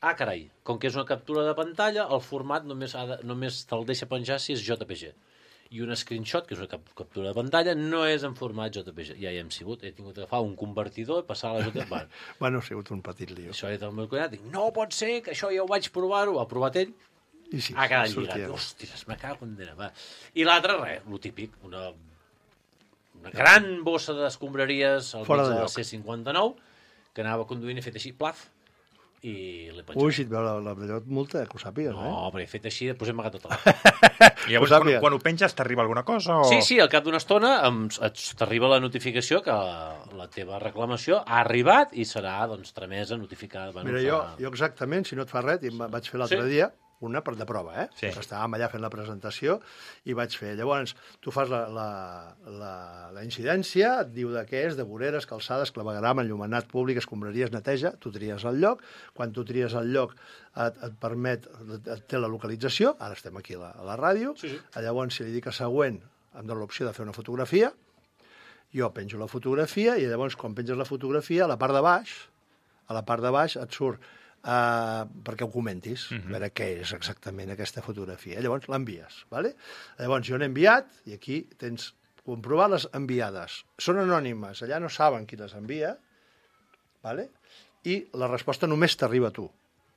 Ah, carai, com que és una captura de pantalla, el format només, ha de, només te'l deixa penjar si és J P G. I un screenshot, que és una cap captura de pantalla, no és en format J P G. Ja hi hem sigut, he tingut d'agafar un convertidor i passar a la J P G. Bueno, Bueno, ha sigut un petit lío. això he dit al meu cunyat, dic, no pot ser, que això ja ho vaig provar-ho. Ha provat ell, I sí, ha quedat sortia. lligat. Hòsties, me cago en Déu. Va. I l'altre, res, lo típic, una, una gran bossa d'escombraries al Fora mig de de la lloc. C cinquanta-nou, que anava conduint i he fet així, plaf, i l'he penjat. Ui, si et veu la, la la multa, que ho sàpigues, eh? No, perquè he fet així, després he amagat tota la... I llavors, Ho quan, sàpiga. quan ho penges, t'arriba alguna cosa? O... Sí, sí, al cap d'una estona em- et- t'arriba la notificació que la, la teva reclamació ha arribat i serà, doncs, tramesa, notificada. Bueno, Mira, jo, serà- jo exactament, si no et fa res, i em va- vaig fer l'altre Sí. dia, una per de prova, eh? Sí. Estàvem allà fent la presentació i vaig fer. Llavors, tu fas la, la, la, la incidència, et diu de què és, de voreres, calçades, clavegram, enllumenat públic, escombraries, neteja, tu tries el lloc, quan tu tries el lloc et, et permet, et, et té la localització, ara estem aquí a la, a la ràdio, Sí, sí. llavors si li dic a següent, em dona l'opció de fer una fotografia, jo penjo la fotografia i llavors quan penges la fotografia, a la part de baix, a la part de baix et surt uh, perquè ho comentis, uh -huh. a veure què és exactament aquesta fotografia. Llavors l'envies, ¿vale? Llavors jo n'he enviat i aquí tens comprovar les enviades. Són anònimes, allà no saben qui les envia, ¿vale? I la resposta només t'arriba a tu,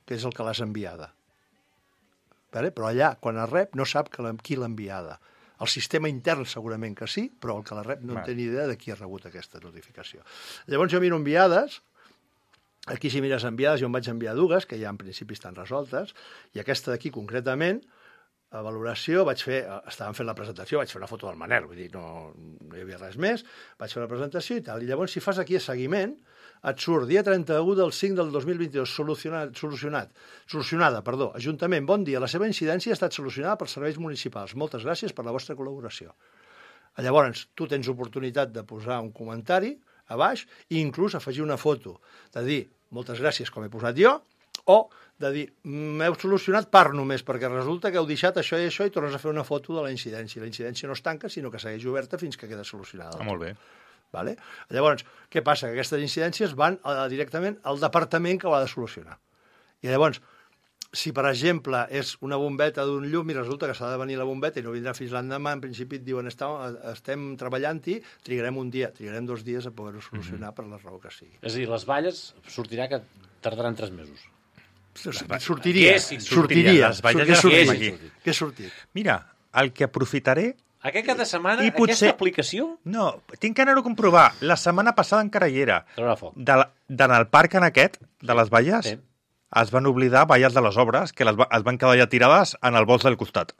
que és el que l'has enviada. vale? Però allà, quan es rep, no sap que la, qui l'ha enviada. El sistema intern segurament que sí, però el que la rep no en té ni idea de qui ha rebut aquesta notificació. Llavors jo miro enviades, aquí si mires enviades jo em vaig enviar dues, que ja en principi estan resoltes, i aquesta d'aquí concretament, a valoració, vaig fer, estàvem fent la presentació, vaig fer una foto del Manel, vull dir, no, no hi havia res més, vaig fer la presentació i tal, i llavors si fas aquí a seguiment, et surt dia trenta-u del cinc del dos mil vint-i-dos, solucionat, solucionat, solucionada, perdó, Ajuntament, bon dia, la seva incidència ha estat solucionada pels serveis municipals, moltes gràcies per la vostra col·laboració. Llavors, tu tens oportunitat de posar un comentari a baix i inclús afegir una foto, de dir, moltes gràcies com he posat jo, o de dir, m'heu solucionat per només, perquè resulta que heu deixat això i això i tornes a fer una foto de la incidència. La incidència no es tanca, sinó que segueix oberta fins que queda solucionada. Ah, molt bé. Vale? Llavors, què passa? Que aquestes incidències van a, directament al departament que ho ha de solucionar. I llavors, si per exemple és una bombeta d'un llum i resulta que s'ha de venir la bombeta i no vindrà fins l'endemà, en principi et diuen estem treballant-hi, trigarem un dia, trigarem dos dies a poder-ho solucionar mm-hmm. per la raó que sigui. És a dir, les valles sortirà que tardaran tres mesos. Sortiria. Què sortiria. Les valles Què ja sortit? aquí. Què ha sortit? Mira, el que aprofitaré... Aquest cap de setmana, I potser... aquesta aplicació... No, tinc que anar-ho a comprovar. La setmana passada encara hi era. Traurà foc. De la... D'en el parc en aquest, de les valles, Sí. es van oblidar valles de les obres, que les va... es van quedar ja tirades en el bols del costat.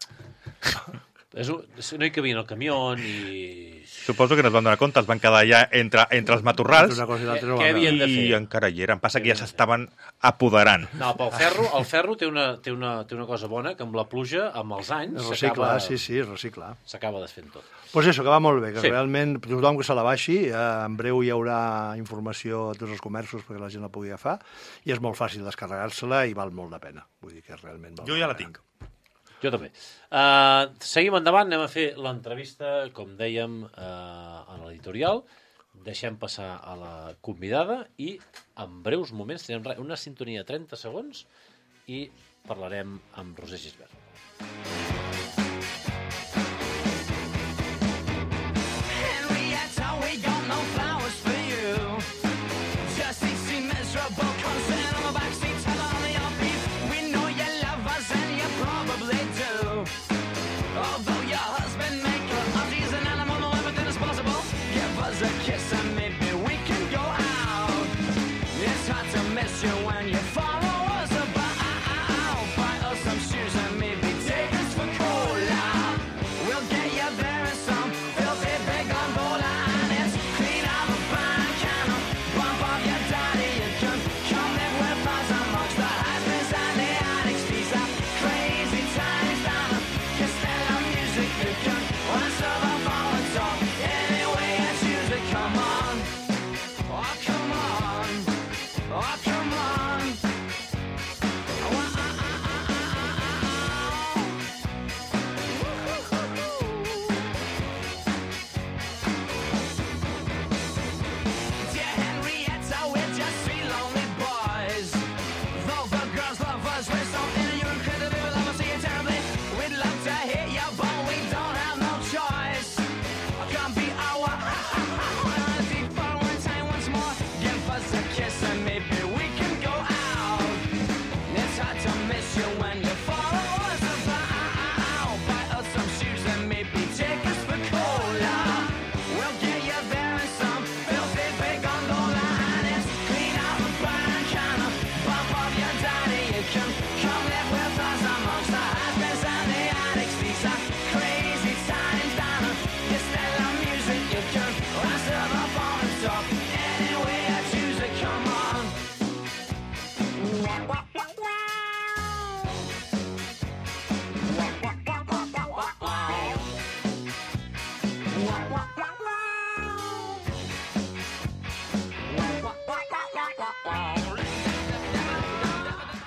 És un... No hi cabien el camió ni... Suposo que no es van donar compte, es van quedar ja entre, entre els matorrals Una cosa i l'altra no Què va havien de i fer? encara hi eren. Passa que ja s'estaven apoderant. No, pel ferro, el ferro té una, té, una, té una cosa bona, que amb la pluja, amb els anys, reciclar, s'acaba sí, sí, reciclar. s'acaba desfent tot. Doncs pues això, que va molt bé, que Sí. sí. realment tothom que se la baixi, eh, en breu hi haurà informació a tots els comerços perquè la gent la pugui agafar, i és molt fàcil descarregar-se-la i val molt la pena. Vull dir que realment val Jo molt ja la la pena. tinc. Jo també. Uh, seguim endavant, anem a fer l'entrevista, com dèiem, uh, a l'editorial. Deixem passar a la convidada i en breus moments tindrem una sintonia de trenta segons i parlarem amb Roser Gisbert.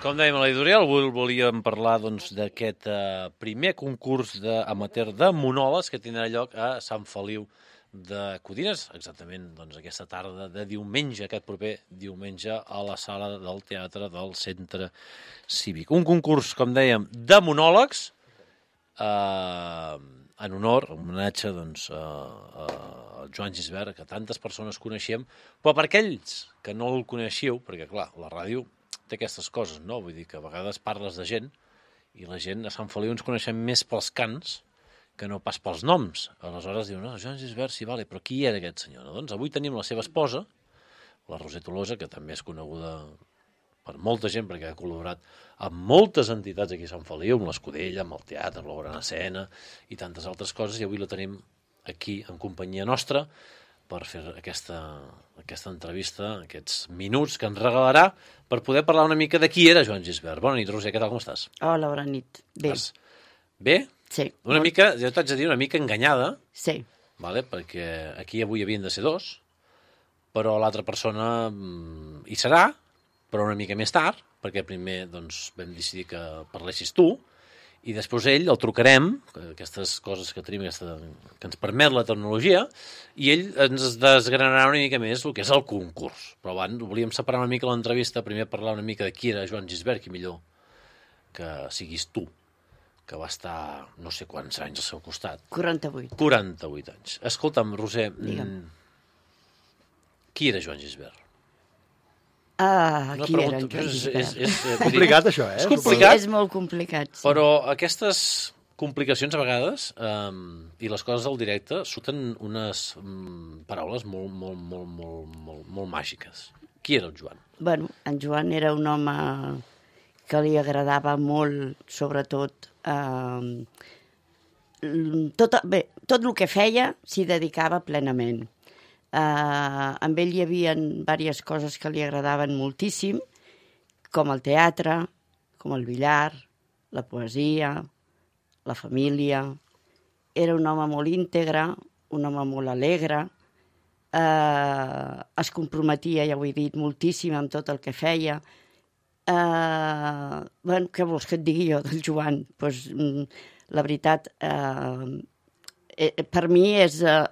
Com dèiem a l'editorial, avui volíem parlar doncs, d'aquest eh, primer concurs amateur de monòlegs que tindrà lloc a Sant Feliu de Codines, exactament doncs, aquesta tarda de diumenge, aquest proper diumenge, a la sala del teatre del Centre Cívic. Un concurs, com dèiem, de monòlegs, eh, en honor, en homenatge doncs, a, a Joan Gisbert, que tantes persones coneixem, però per aquells que no el coneixeu, perquè clar, la ràdio té aquestes coses, no? Vull dir que a vegades parles de gent I la gent a Sant Feliu ens coneixem més pels cants que no pas pels noms. Aleshores diuen, no, Joan Gisbert, sí, vale, però qui era aquest senyor? No? Doncs avui tenim la seva esposa, la Roser Tolosa, que també és coneguda per molta gent, perquè ha col·laborat amb moltes entitats aquí a Sant Feliu, amb l'Escudella, amb el teatre, amb la Gran Escena i tantes altres coses, i avui la tenim aquí en companyia nostra per fer aquesta, aquesta entrevista, aquests minuts que ens regalarà per poder parlar una mica de qui era Joan Gisbert. Bona nit, Roser, què tal, com estàs? Hola, bona nit. Bé. Estàs bé? Sí. Una mica, jo t'haig de dir, una mica enganyada, Sí. vale? Perquè aquí avui havien de ser dos, però l'altra persona mm, hi serà, però una mica més tard, perquè primer doncs, vam decidir que parlessis tu, i després ell el trucarem, aquestes coses que tenim, aquesta, que ens permet la tecnologia, i ell ens desgranarà una mica més el que és el concurs. Però abans volíem separar una mica l'entrevista, primer parlar una mica de qui era Joan Gisbert, qui millor que siguis tu, que va estar no sé quants anys al seu costat. quaranta-vuit. quaranta-vuit anys. Escolta'm, Roser, Digue'm. mm, qui era Joan Gisbert? Ah, Una qui pregunta- era en Joan és- Gisbert? és- és, eh, vull dir- Complicat, això, eh? És complicat, És molt complicat. Sí. però aquestes complicacions a vegades um, i les coses del directe surten unes um, paraules molt, molt, molt, molt, molt, molt màgiques. Qui era el Joan? Bueno, en Joan era un home que li agradava molt, sobretot, eh, tot, bé, tot el que feia s'hi dedicava plenament. Eh, amb ell hi havia diverses coses que li agradaven moltíssim, com el teatre, com el billar, la poesia, la família. Era un home molt íntegre, un home molt alegre, eh, es comprometia, ja ho he dit, moltíssim amb tot el que feia. Eh, bueno, què vols que et digui jo del Joan? Pues, mm, la veritat, eh, eh, per mi és, eh,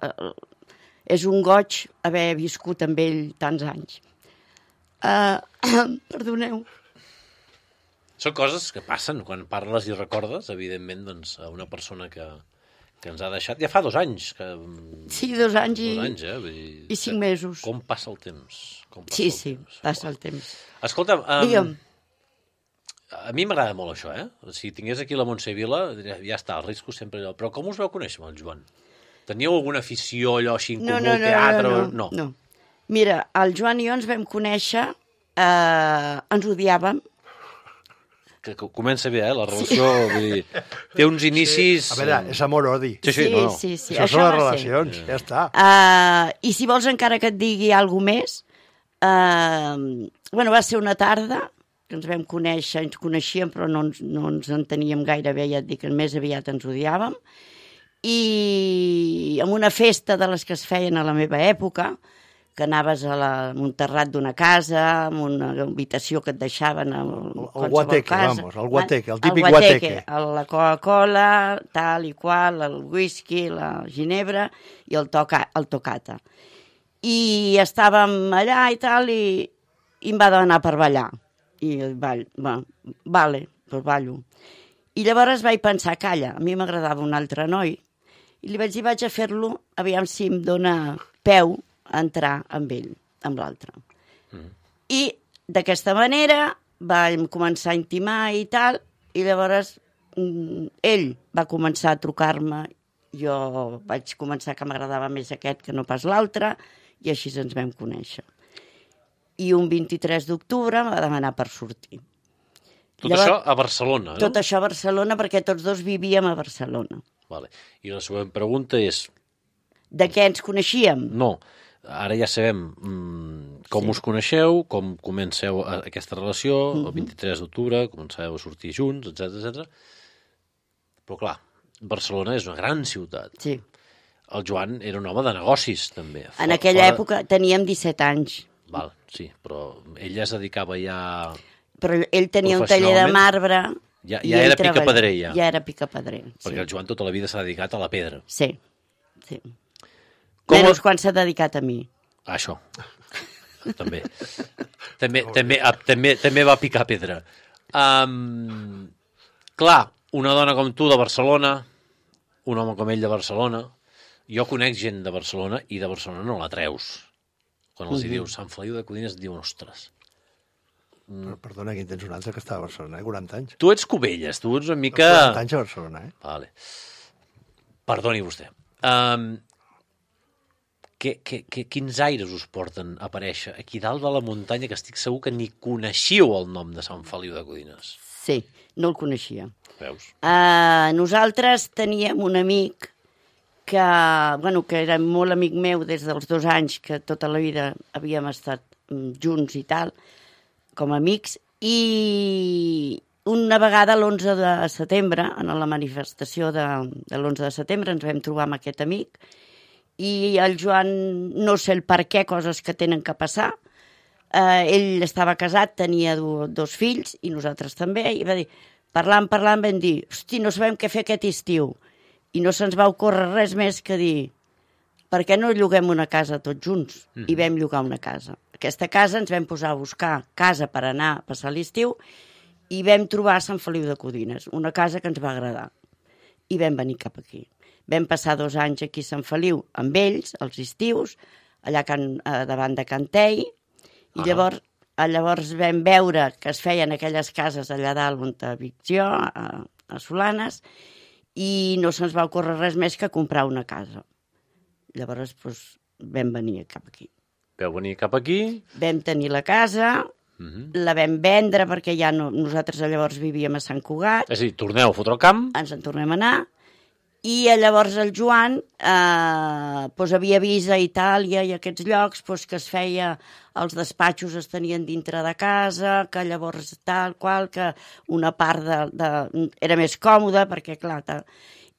és un goig haver viscut amb ell tants anys. Eh, perdoneu. Són coses que passen quan parles i recordes, evidentment, doncs, a una persona que, que ens ha deixat. Ja fa dos anys. Que, Sí, dos anys i, dos anys, eh? Vull dir, i cinc mesos. Com passa el temps? Com passa Sí, el sí, temps? passa el temps. Escolta'm, um, Digue'm. a mi m'agrada molt això, eh? Si tingués aquí la Montse Vila, diria, ja està, el risco sempre allò. Però com us veu conèixer amb el Joan? Teníeu alguna afició, allò així, en No, comú, no, no, teatre? no, no, no. Mira, el Joan i jo ens vam conèixer, eh, ens odiàvem. Que, que comença bé, eh? La relació, sí. Vull dir, té uns inicis... A veure, és amor-odi. Sí, sí, Sí, no, no. sí, sí. Això, Això són les va ser. relacions, ja està. Uh, I si vols encara que et digui alguna més, uh, bueno, va ser una tarda que ens vam conèixer, ens coneixíem però no ens, no ens enteníem gaire bé, ja et dic, més aviat ens odiàvem, i en una festa de les que es feien a la meva època, que anaves a, la, a un terrat d'una casa, amb una habitació que et deixaven a El guateque, vamos, el guateque, el típic guateque. La Coca-Cola, tal i qual, el whisky, la ginebra i el, toca, el tocata. I estàvem allà i tal, i, i em va demanar per ballar. I el ball, va, vale, doncs ballo. I llavors vaig pensar, calla, a mi m'agradava un altre noi, i li vaig dir, vaig a fer-lo, aviam si em dóna peu a entrar amb ell, amb l'altre. Mm. I d'aquesta manera vam començar a intimar i tal, i llavors mm, ell va començar a trucar-me, jo vaig començar que m'agradava més aquest que no pas l'altre, i així ens vam conèixer. I un vint-i-tres d'octubre em va demanar per sortir. Tot Llavors, això a Barcelona, no? Tot això a Barcelona, perquè tots dos vivíem a Barcelona. Vale. I la següent pregunta és... De què ens coneixíem? No, ara ja sabem mm, com Sí. us coneixeu, com comenceu a- aquesta relació, Mhm. el vint-i-tres d'octubre, començàveu a sortir junts, etcètera, etcètera. Però clar, Barcelona és una gran ciutat. Sí. El Joan era un home de negocis, també. En aquella època teníem disset anys, Val, sí, però ell ja es dedicava ja... però ell tenia un taller de Professionalment, marbre. ja- i ja ell era treballa- picapedrer, ja. Ja era picapedrer, Perquè sí. el Joan tota la vida s'ha dedicat a la pedra. Sí, sí. Com Menys el- quan s'ha dedicat a mi. Ah, això. també. també, també, ah, també. També va picar pedra. Um, clar, una dona com tu de Barcelona, un home com ell de Barcelona, jo conec gent de Barcelona i de Barcelona no la treus. Quan els hi Mhm. dius Sant Feliu de Codines, et diuen, ostres, Per, perdona, aquí en tens un altre que està a Barcelona, eh? quaranta anys. Tu ets Cubelles, tu ets una mica... quaranta anys a Barcelona, eh? Vale. Perdoni vostè. Um, que, que, que, quins aires us porten a aparèixer aquí dalt de la muntanya, que estic segur que ni coneixíeu el nom de Sant Feliu de Codines? Sí, no el coneixia. Veus? Uh, nosaltres teníem un amic que, bueno, que era molt amic meu des dels dos anys, que tota la vida havíem estat junts i tal, com a amics, i una vegada l'onze de setembre, en la manifestació de, de l'onze de setembre, ens vam trobar amb aquest amic, i el Joan, no sé el per què, coses que tenen que passar, eh, ell estava casat, tenia do, dos fills, i nosaltres també, i va dir, parlant, parlant, vam dir, hosti, no sabem què fer aquest estiu, i no se'ns va ocórrer res més que dir, per què no lloguem una casa tots junts? Mm. I vam llogar una casa. Aquesta casa ens vam posar a buscar casa per anar a passar l'estiu, i vam trobar Sant Feliu de Codines, una casa que ens va agradar, i vam venir cap aquí. Vam passar dos anys aquí a Sant Feliu amb ells, els estius, allà can, eh, davant de Cantei, i ah. llavors, llavors vam veure que es feien aquelles cases allà dalt on vic jo, a, a Solanes, i no se'ns va ocórrer res més que comprar una casa. Llavors doncs, vam venir cap aquí. Vau venir cap aquí? Vam tenir la casa, uh-huh. la vam vendre perquè ja no, nosaltres llavors vivíem a Sant Cugat. És a dir, torneu a fotre el camp? Ens en tornem a anar. I llavors el Joan eh, doncs havia vist a Itàlia i a aquests llocs doncs, que es feia, els despatxos es tenien dintre de casa, que llavors tal qual, que una part de, de, era més còmoda, perquè clar, tal,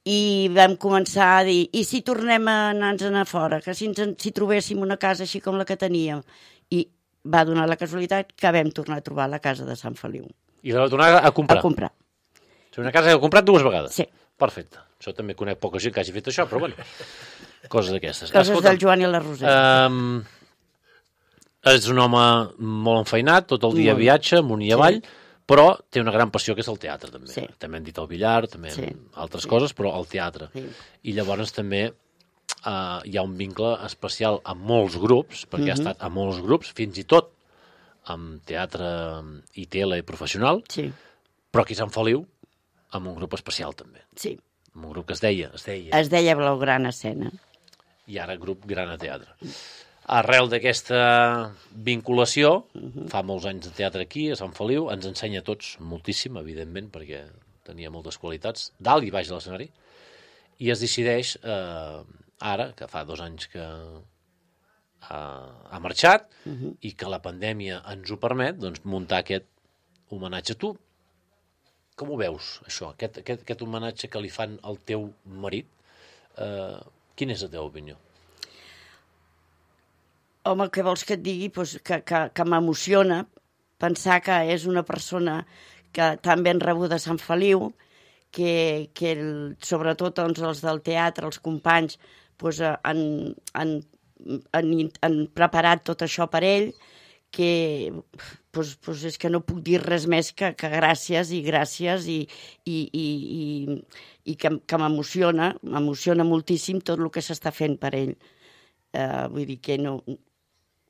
i vam començar a dir, i si tornem a anar-nos a fora, que si, ens, si trobéssim una casa així com la que teníem, i va donar la casualitat que vam tornar a trobar la casa de Sant Feliu. I la vau tornar a comprar? A comprar. O sigui, una casa que heu comprat dues vegades? Sí. Perfecte. Això també conec poca gent que hagi fet això, però bueno, coses d'aquestes. Coses Escolta, del Joan i la Roser. Um, és un home molt enfeinat, tot el dia molt. Viatja, amunt i avall, sí. però té una gran passió que és el teatre, també. Sí. També hem dit el billar, també sí. altres sí. coses, però el teatre. Sí. I llavors també uh, hi ha un vincle especial amb molts grups, perquè uh-huh. ha estat a molts grups, fins i tot amb teatre i tele professional, sí. però aquí a Sant Feliu, amb un grup especial també. Sí. Amb un grup que es deia... Es deia, es deia Blaugrana Escena. I ara grup Grana Teatre. Arrel d'aquesta vinculació, uh-huh. fa molts anys de teatre aquí, a Sant Feliu, ens ensenya a tots moltíssim, evidentment, perquè tenia moltes qualitats, dalt i baix de l'escenari, i es decideix, eh, ara, que fa dos anys que ha, ha marxat, uh-huh. i que la pandèmia ens ho permet, doncs, muntar aquest homenatge. Tu, com ho veus, això, aquest, aquest, aquest homenatge que li fan al teu marit? Eh, quina és la teva opinió? Home, què vols que et digui? Pues que que, que m'emociona pensar que és una persona que tan ben rebuda a Sant Feliu, que, que el, sobretot doncs, els del teatre, els companys, pues, han, han, han, han preparat tot això per ell, que pues, pues és que no puc dir res més que, que gràcies i gràcies i, i, i, i, i que, que m'emociona, m'emociona moltíssim tot el que s'està fent per ell. Uh, vull dir que no,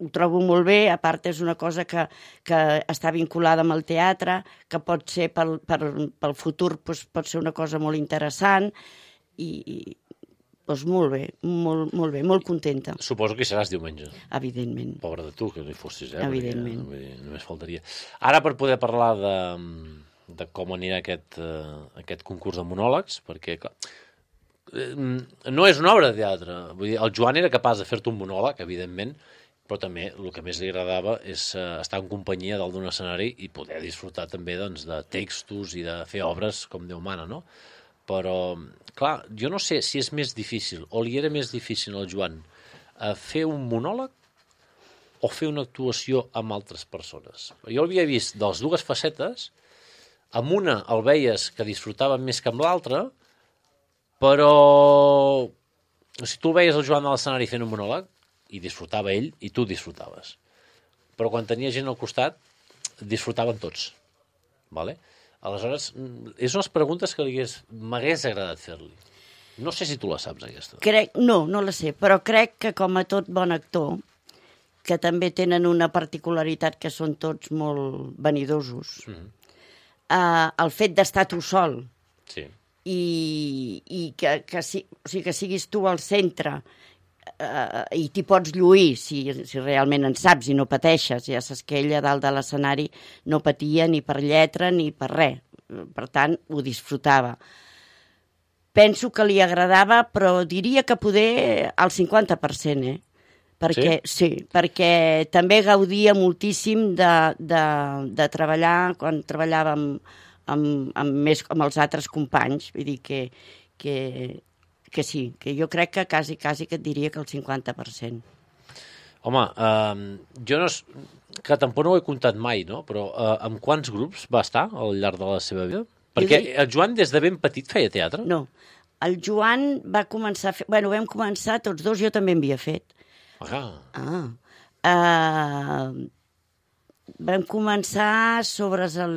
ho trobo molt bé, a part és una cosa que, que està vinculada amb el teatre, que pot ser pel, per, pel futur pues, pot ser una cosa molt interessant i, i doncs molt bé, molt, molt bé, molt contenta. Suposo que hi seràs diumenge. Evidentment. Pobre de tu, que no hi fossis, eh? Evidentment. Perquè, només faltaria. Ara, per poder parlar de, de com anirà aquest, uh, aquest concurs de monòlegs, perquè, clar, no és una obra de teatre. Vull dir, el Joan era capaç de fer-te un monòleg, evidentment, però també el que més li agradava és uh, estar en companyia dalt d'un escenari i poder disfrutar també doncs, de textos i de fer obres com Déu mana, no? Però, clar, jo no sé si és més difícil, o li era més difícil al Joan, eh, fer un monòleg o fer una actuació amb altres persones. Jo l'havia vist de les dues facetes, amb una el veies que disfrutava més que amb l'altra, però si tu el veies el Joan a l'escenari fent un monòleg, i disfrutava ell, i tu disfrutaves. Però quan tenia gent al costat, disfrutaven tots. Vale? Aleshores, és unes preguntes que m'hagués agradat fer-li. No sé si tu la saps, aquesta. Crec, no, no la sé, però crec que com a tot bon actor que també tenen una particularitat que són tots molt vanidosos. Mm. Uh, el fet d'estar tu sol sí. i, i que, que, si, o sigui, que siguis tu al centre uh, i t'hi pots lluir si, si realment en saps i no pateixes. Ja saps que ella dalt de l'escenari no patia ni per lletra ni per res. Per tant, ho disfrutava. Penso que li agradava, però diria que poder al cinquanta per cent, eh? Perquè, sí? sí, perquè també gaudia moltíssim de, de, de treballar, quan treballava amb, amb, amb, més, amb els altres companys. Vull dir que, que, que sí, que jo crec que quasi, quasi que et diria que el cinquanta per cent. Home, eh, jo no... que tampoc no ho he comptat mai, no? Però eh, amb quants grups va estar al llarg de la seva vida? Perquè dic... el Joan des de ben petit feia teatre? No, el Joan va començar a fer... Bueno, vam començar tots dos, jo també en havia fet. Ah. Ah. Uh, vam començar sobre el,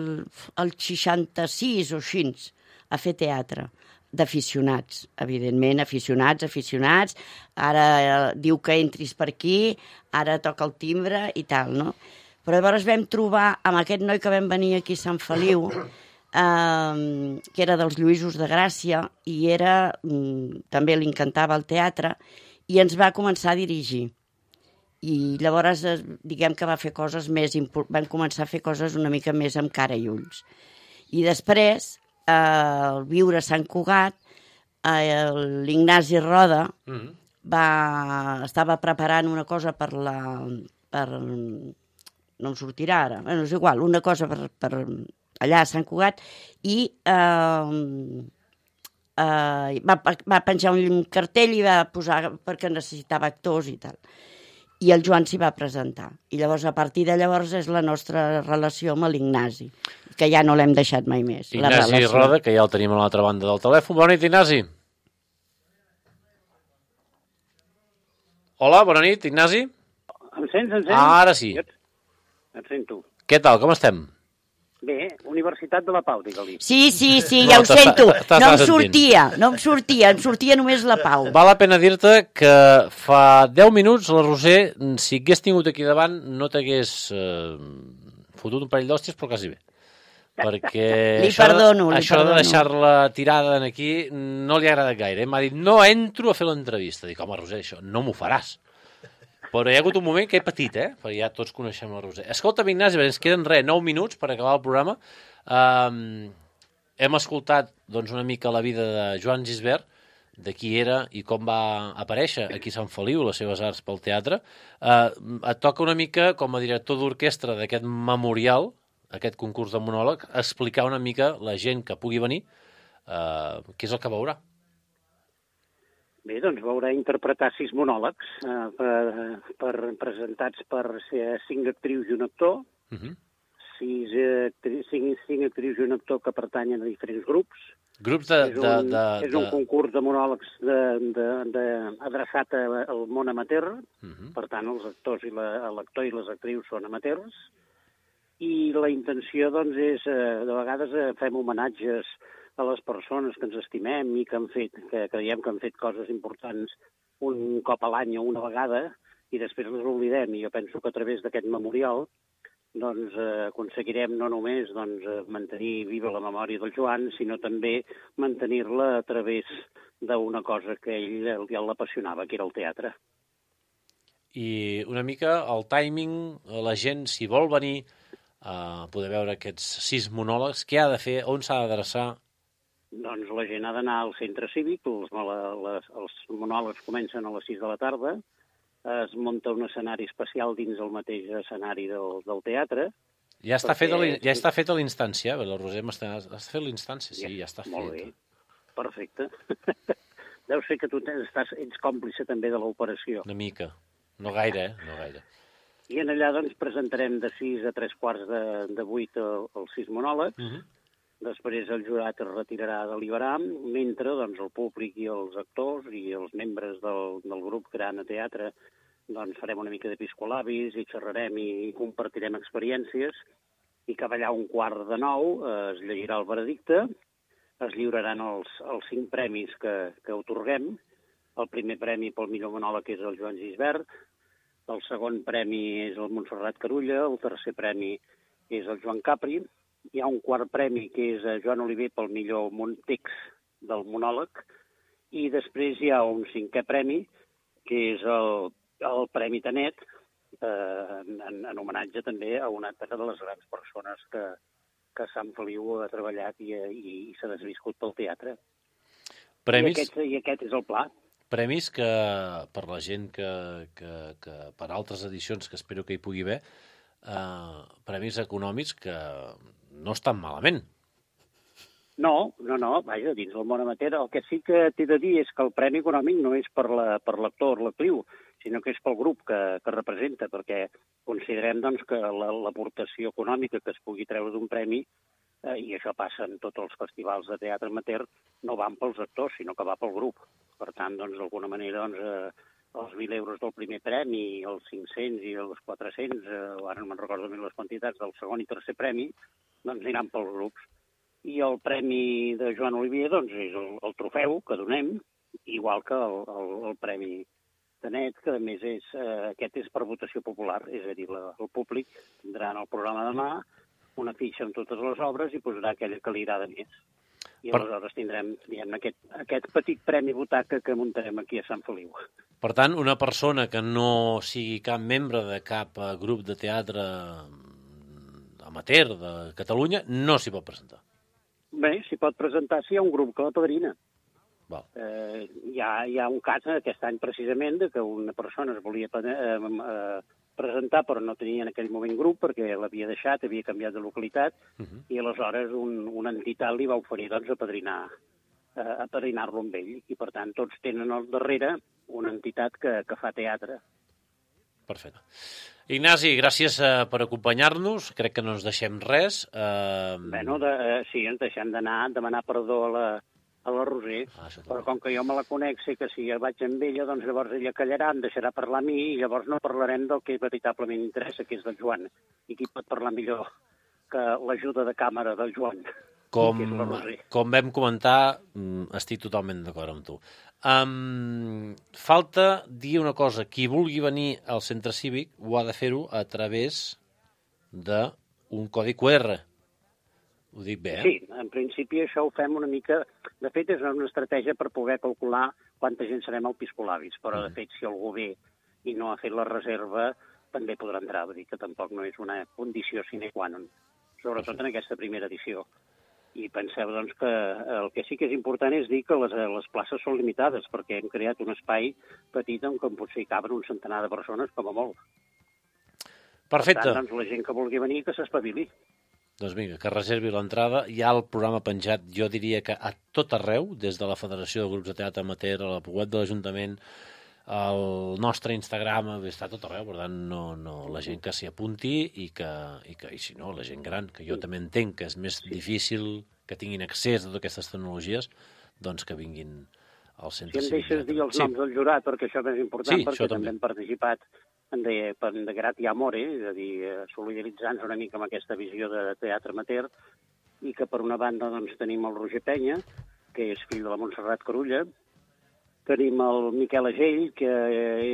el seixanta-sis o així a fer teatre d'aficionats, evidentment, aficionats, aficionats. Ara eh, diu que entris per aquí, ara toca el timbre i tal, no? Però llavors vam trobar amb aquest noi que vam venir aquí a Sant Feliu, eh, que era dels Lluïsos de Gràcia, i era, mm, també li encantava el teatre, i ens va començar a dirigir. I llavors, diguem que va fer coses més... Van començar a fer coses una mica més amb cara i ulls. I després, eh, al viure a Sant Cugat, eh, l'Ignasi Roda mm-hmm. va, estava preparant una cosa per la... Per, no em sortirà ara, bueno, és igual, una cosa per, per allà a Sant Cugat, i eh, eh, va, va penjar un cartell i va posar perquè necessitava actors i tal. I el Joan s'hi va presentar. I llavors, a partir de llavors, és la nostra relació amb l'Ignasi, que ja no l'hem deixat mai més. Ignasi Roda, que ja el tenim a l'altra banda del telèfon. Bona nit, Ignasi. Hola, bona nit, Ignasi. Em sents, em sents? Ah, ara sí. Jo et sento. Què tal, com estem? Bé, Universitat de la Pau, digue-li. Sí, sí, sí, ja ho sento. No em sortia, no em sortia, em sortia només la Pau. Val la pena dir-te que fa deu minuts la Roser, si hagués tingut aquí davant, no t'hagués eh, fotut un parell d'hòsties, però quasi bé. Perquè li això, perdono, de, li això perdono. de deixar-la tirada aquí no li ha agradat gaire. M'ha dit, no entro a fer l'entrevista. Dic, home, Roser, això no m'ho faràs. Però hi ha hagut un moment que he patit, eh? Perquè ja tots coneixem la Roser. Escolta'm, Ignasi, ens queden res, nou minuts per acabar el programa. Um, hem escoltat doncs, una mica la vida de Joan Gisbert, de qui era i com va aparèixer aquí a Sant Feliu, les seves arts pel teatre. Uh, et toca una mica, com a director d'orquestra d'aquest memorial, aquest concurs de monòleg, explicar una mica la gent que pugui venir uh, què és el que veurà. Bé, doncs veurà interpretar sis monòlegs eh, per, per, presentats per cinc actrius i un actor, uh-huh. sis, actri, cinc, cinc actrius i un actor que pertanyen a diferents grups. Grups de... És un, de, de, és un de... concurs de monòlegs de, de, de, adreçat a, al món amateur, uh-huh. Per tant, els actors i la, l'actor i les actrius són amateurs, i la intenció, doncs, és, eh, de vegades eh, fem homenatges a les persones que ens estimem i que han fet, que creiem que han fet coses importants un cop a l'any o una vegada, i després les oblidem. I jo penso que a través d'aquest memorial doncs, eh, aconseguirem no només doncs, mantenir viva la memòria del Joan, sinó també mantenir-la a través d'una cosa que ell ja l'apassionava, que era el teatre. I una mica el timing, la gent, si vol venir a poder veure aquests sis monòlegs, què ha de fer, on s'ha d'adreçar? Doncs la gent ha d'anar al centre cívic, els, les, els monòlegs comencen a les sis de la tarda, es munta un escenari especial dins el mateix escenari del, del teatre. Ja està perquè... fet ja està fet a l'instància, la Roser m'està... Has fet l'instància? Sí, ja, ja està molt fet. Bé, perfecte. Deu ser que tu estàs, ets còmplice també de l'operació. Una mica. No gaire, eh? No gaire. I en allà doncs presentarem de sis a tres quarts de, de vuit els sis monòlegs. Uh-huh. Després el jurat es retirarà a deliberar, mentre doncs, el públic i els actors i els membres del, del grup Gran a Teatre doncs, farem una mica d'episcolabis i xerrarem i, i compartirem experiències, i cap allà un quart de nou eh, es llegirà el veredicte, es lliuraran els, els cinc premis que, que otorguem. El primer premi pel millor monòleg és el Joan Gisbert, el segon premi és el Montserrat Carulla, el tercer premi és el Joan Capri, hi ha un quart premi que és el Joan Oliver pel millor text del monòleg, i després hi ha un cinquè premi, que és el, el Premi Tanet, eh, en, en homenatge també a una de les grans persones que, que Sant Feliu ha treballat i, i, i s'ha desviscut pel teatre. Premis... I aquest, I aquest és el pla. Premis que, per la gent que, que, que per altres edicions, que espero que hi pugui haver, eh, premis econòmics que no estan malament. No, no, no, vaja, dins del món amateur. El que sí que t'he de dir és que el premi econòmic no és per la, per l'actor o l'actriu, sinó que és pel grup que, que representa, perquè considerem doncs, que l'aportació la, econòmica que es pugui treure d'un premi, eh, i això passa en tots els festivals de teatre amateur, no van pels actors, sinó que va pel grup. Per tant, doncs, d'alguna manera, doncs, eh, els mil euros del primer premi, els cinc-cents i els quatre-cents, eh, ara no me'n recordo més les quantitats, del segon i tercer premi, doncs aniran pels grups. I el premi de Joan Oliver doncs, és el, el trofeu que donem, igual que el, el, el premi Tanet, que a més és, eh, aquest és per votació popular, és a dir, la, el públic tindrà en el programa demà una fitxa amb totes les obres i posarà aquella que li agrada més. I per... aleshores tindrem diguem, aquest, aquest petit premi butaca que muntarem aquí a Sant Feliu. Per tant, una persona que no sigui cap membre de cap grup de teatre amateur de Catalunya no s'hi pot presentar. Bé, s'hi pot presentar si hi ha un grup que la padrina. Val. Eh, hi, ha, hi ha un cas aquest any precisament de que una persona es volia eh, eh, presentar però no tenia en aquell moment grup perquè l'havia deixat, havia canviat de localitat uh -huh. i aleshores un, una entitat li va oferir doncs, a padrinar, eh, a padrinar-lo amb ell i per tant tots tenen al darrere una entitat que, que fa teatre. Perfecte. Ignasi, gràcies eh, per acompanyar-nos. Crec que no ens deixem res. Eh... Bueno, de, eh, sí, ens deixem d'anar, demanar perdó a la, a la Roser, ah, però com que jo me la conec, sé que si vaig amb ella, doncs llavors ella callarà, em deixarà parlar a mi, i llavors no parlarem del que veritablement interessa, que és del Joan. I qui pot parlar millor que l'ajuda de càmera del Joan? Com, com vam comentar, estic totalment d'acord amb tu. Um, falta dir una cosa. Qui vulgui venir al centre cívic ho ha de fer-ho a través d'un codi Q R. Ho dic bé, eh? Sí, en principi això ho fem una mica... De fet, és una estratègia per poder calcular quanta gent serem al Piscolabis, però, de fet, si algú ve i no ha fet la reserva, també podrà entrar. Vull dir que tampoc no és una condició sine qua non, sobretot en aquesta primera edició. I penseu, doncs, que el que sí que és important és dir que les, les places són limitades, perquè hem creat un espai petit on potser hi caben un centenar de persones, com a molt. Perfecte. Per tant, doncs, la gent que vulgui venir, que s'espavili. Doncs vinga, que reservi l'entrada. Hi ha el programa penjat, jo diria que a tot arreu, des de la Federació de Grups de Teatre Amateur, a la web de l'Ajuntament, el nostre Instagram, està tot arreu, per tant, no, no, la gent que s'hi apunti i que, i que, i si no, la gent gran, que jo també entenc que és més sí. difícil que tinguin accés a totes aquestes tecnologies, doncs que vinguin al centre cívic. Si em deixes dir els sí. noms del jurat, perquè això és important, sí, perquè també. també hem participat en de, en de grat i amore, és a dir, solidaritzant-nos una mica amb aquesta visió de teatre amateur, i que per una banda doncs, tenim el Roger Penya, que és fill de la Montserrat Carulla, tenim el Miquel Agell, que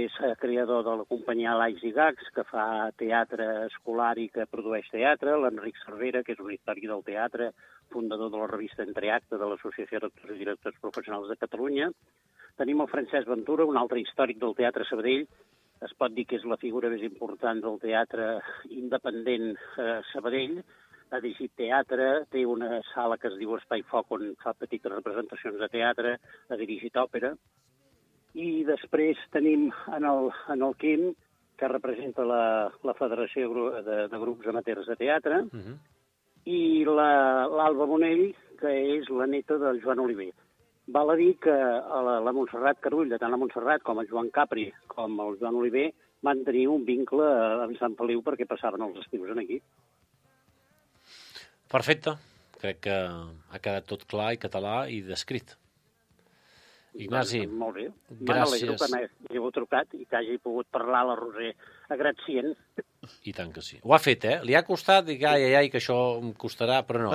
és creador de la companyia Laics i Gags, que fa teatre escolar i que produeix teatre, l'Enric Cervera, que és un històric del teatre, fundador de la revista Entreacte de l'Associació d'Actors i Directors Professionals de Catalunya. Tenim el Francesc Ventura, un altre històric del teatre Sabadell, es pot dir que és la figura més important del teatre independent eh, Sabadell, ha dirigit teatre, té una sala que es diu Espai Foc on fa petites representacions de teatre, ha dirigit òpera, i després tenim en el, en el Quim, que representa la, la Federació de, de Grups Amateurs de Teatre, uh -huh. i l'Alba la, Bonell, que és la neta del Joan Oliver. Val a dir que la, la Montserrat Carulla, tant la Montserrat com el Joan Capri com el Joan Oliver, van tenir un vincle amb Sant Feliu perquè passaven els estius aquí. Perfecte. Crec que ha quedat tot clar i català i descrit. Ignasi, doncs, molt bé. gràcies. Que m'heu trucat i que hagi pogut parlar a la Roser agradecient. I tant que sí. Ho ha fet, eh? Li ha costat, dic, ai, ai, ai, que això em costarà, però no.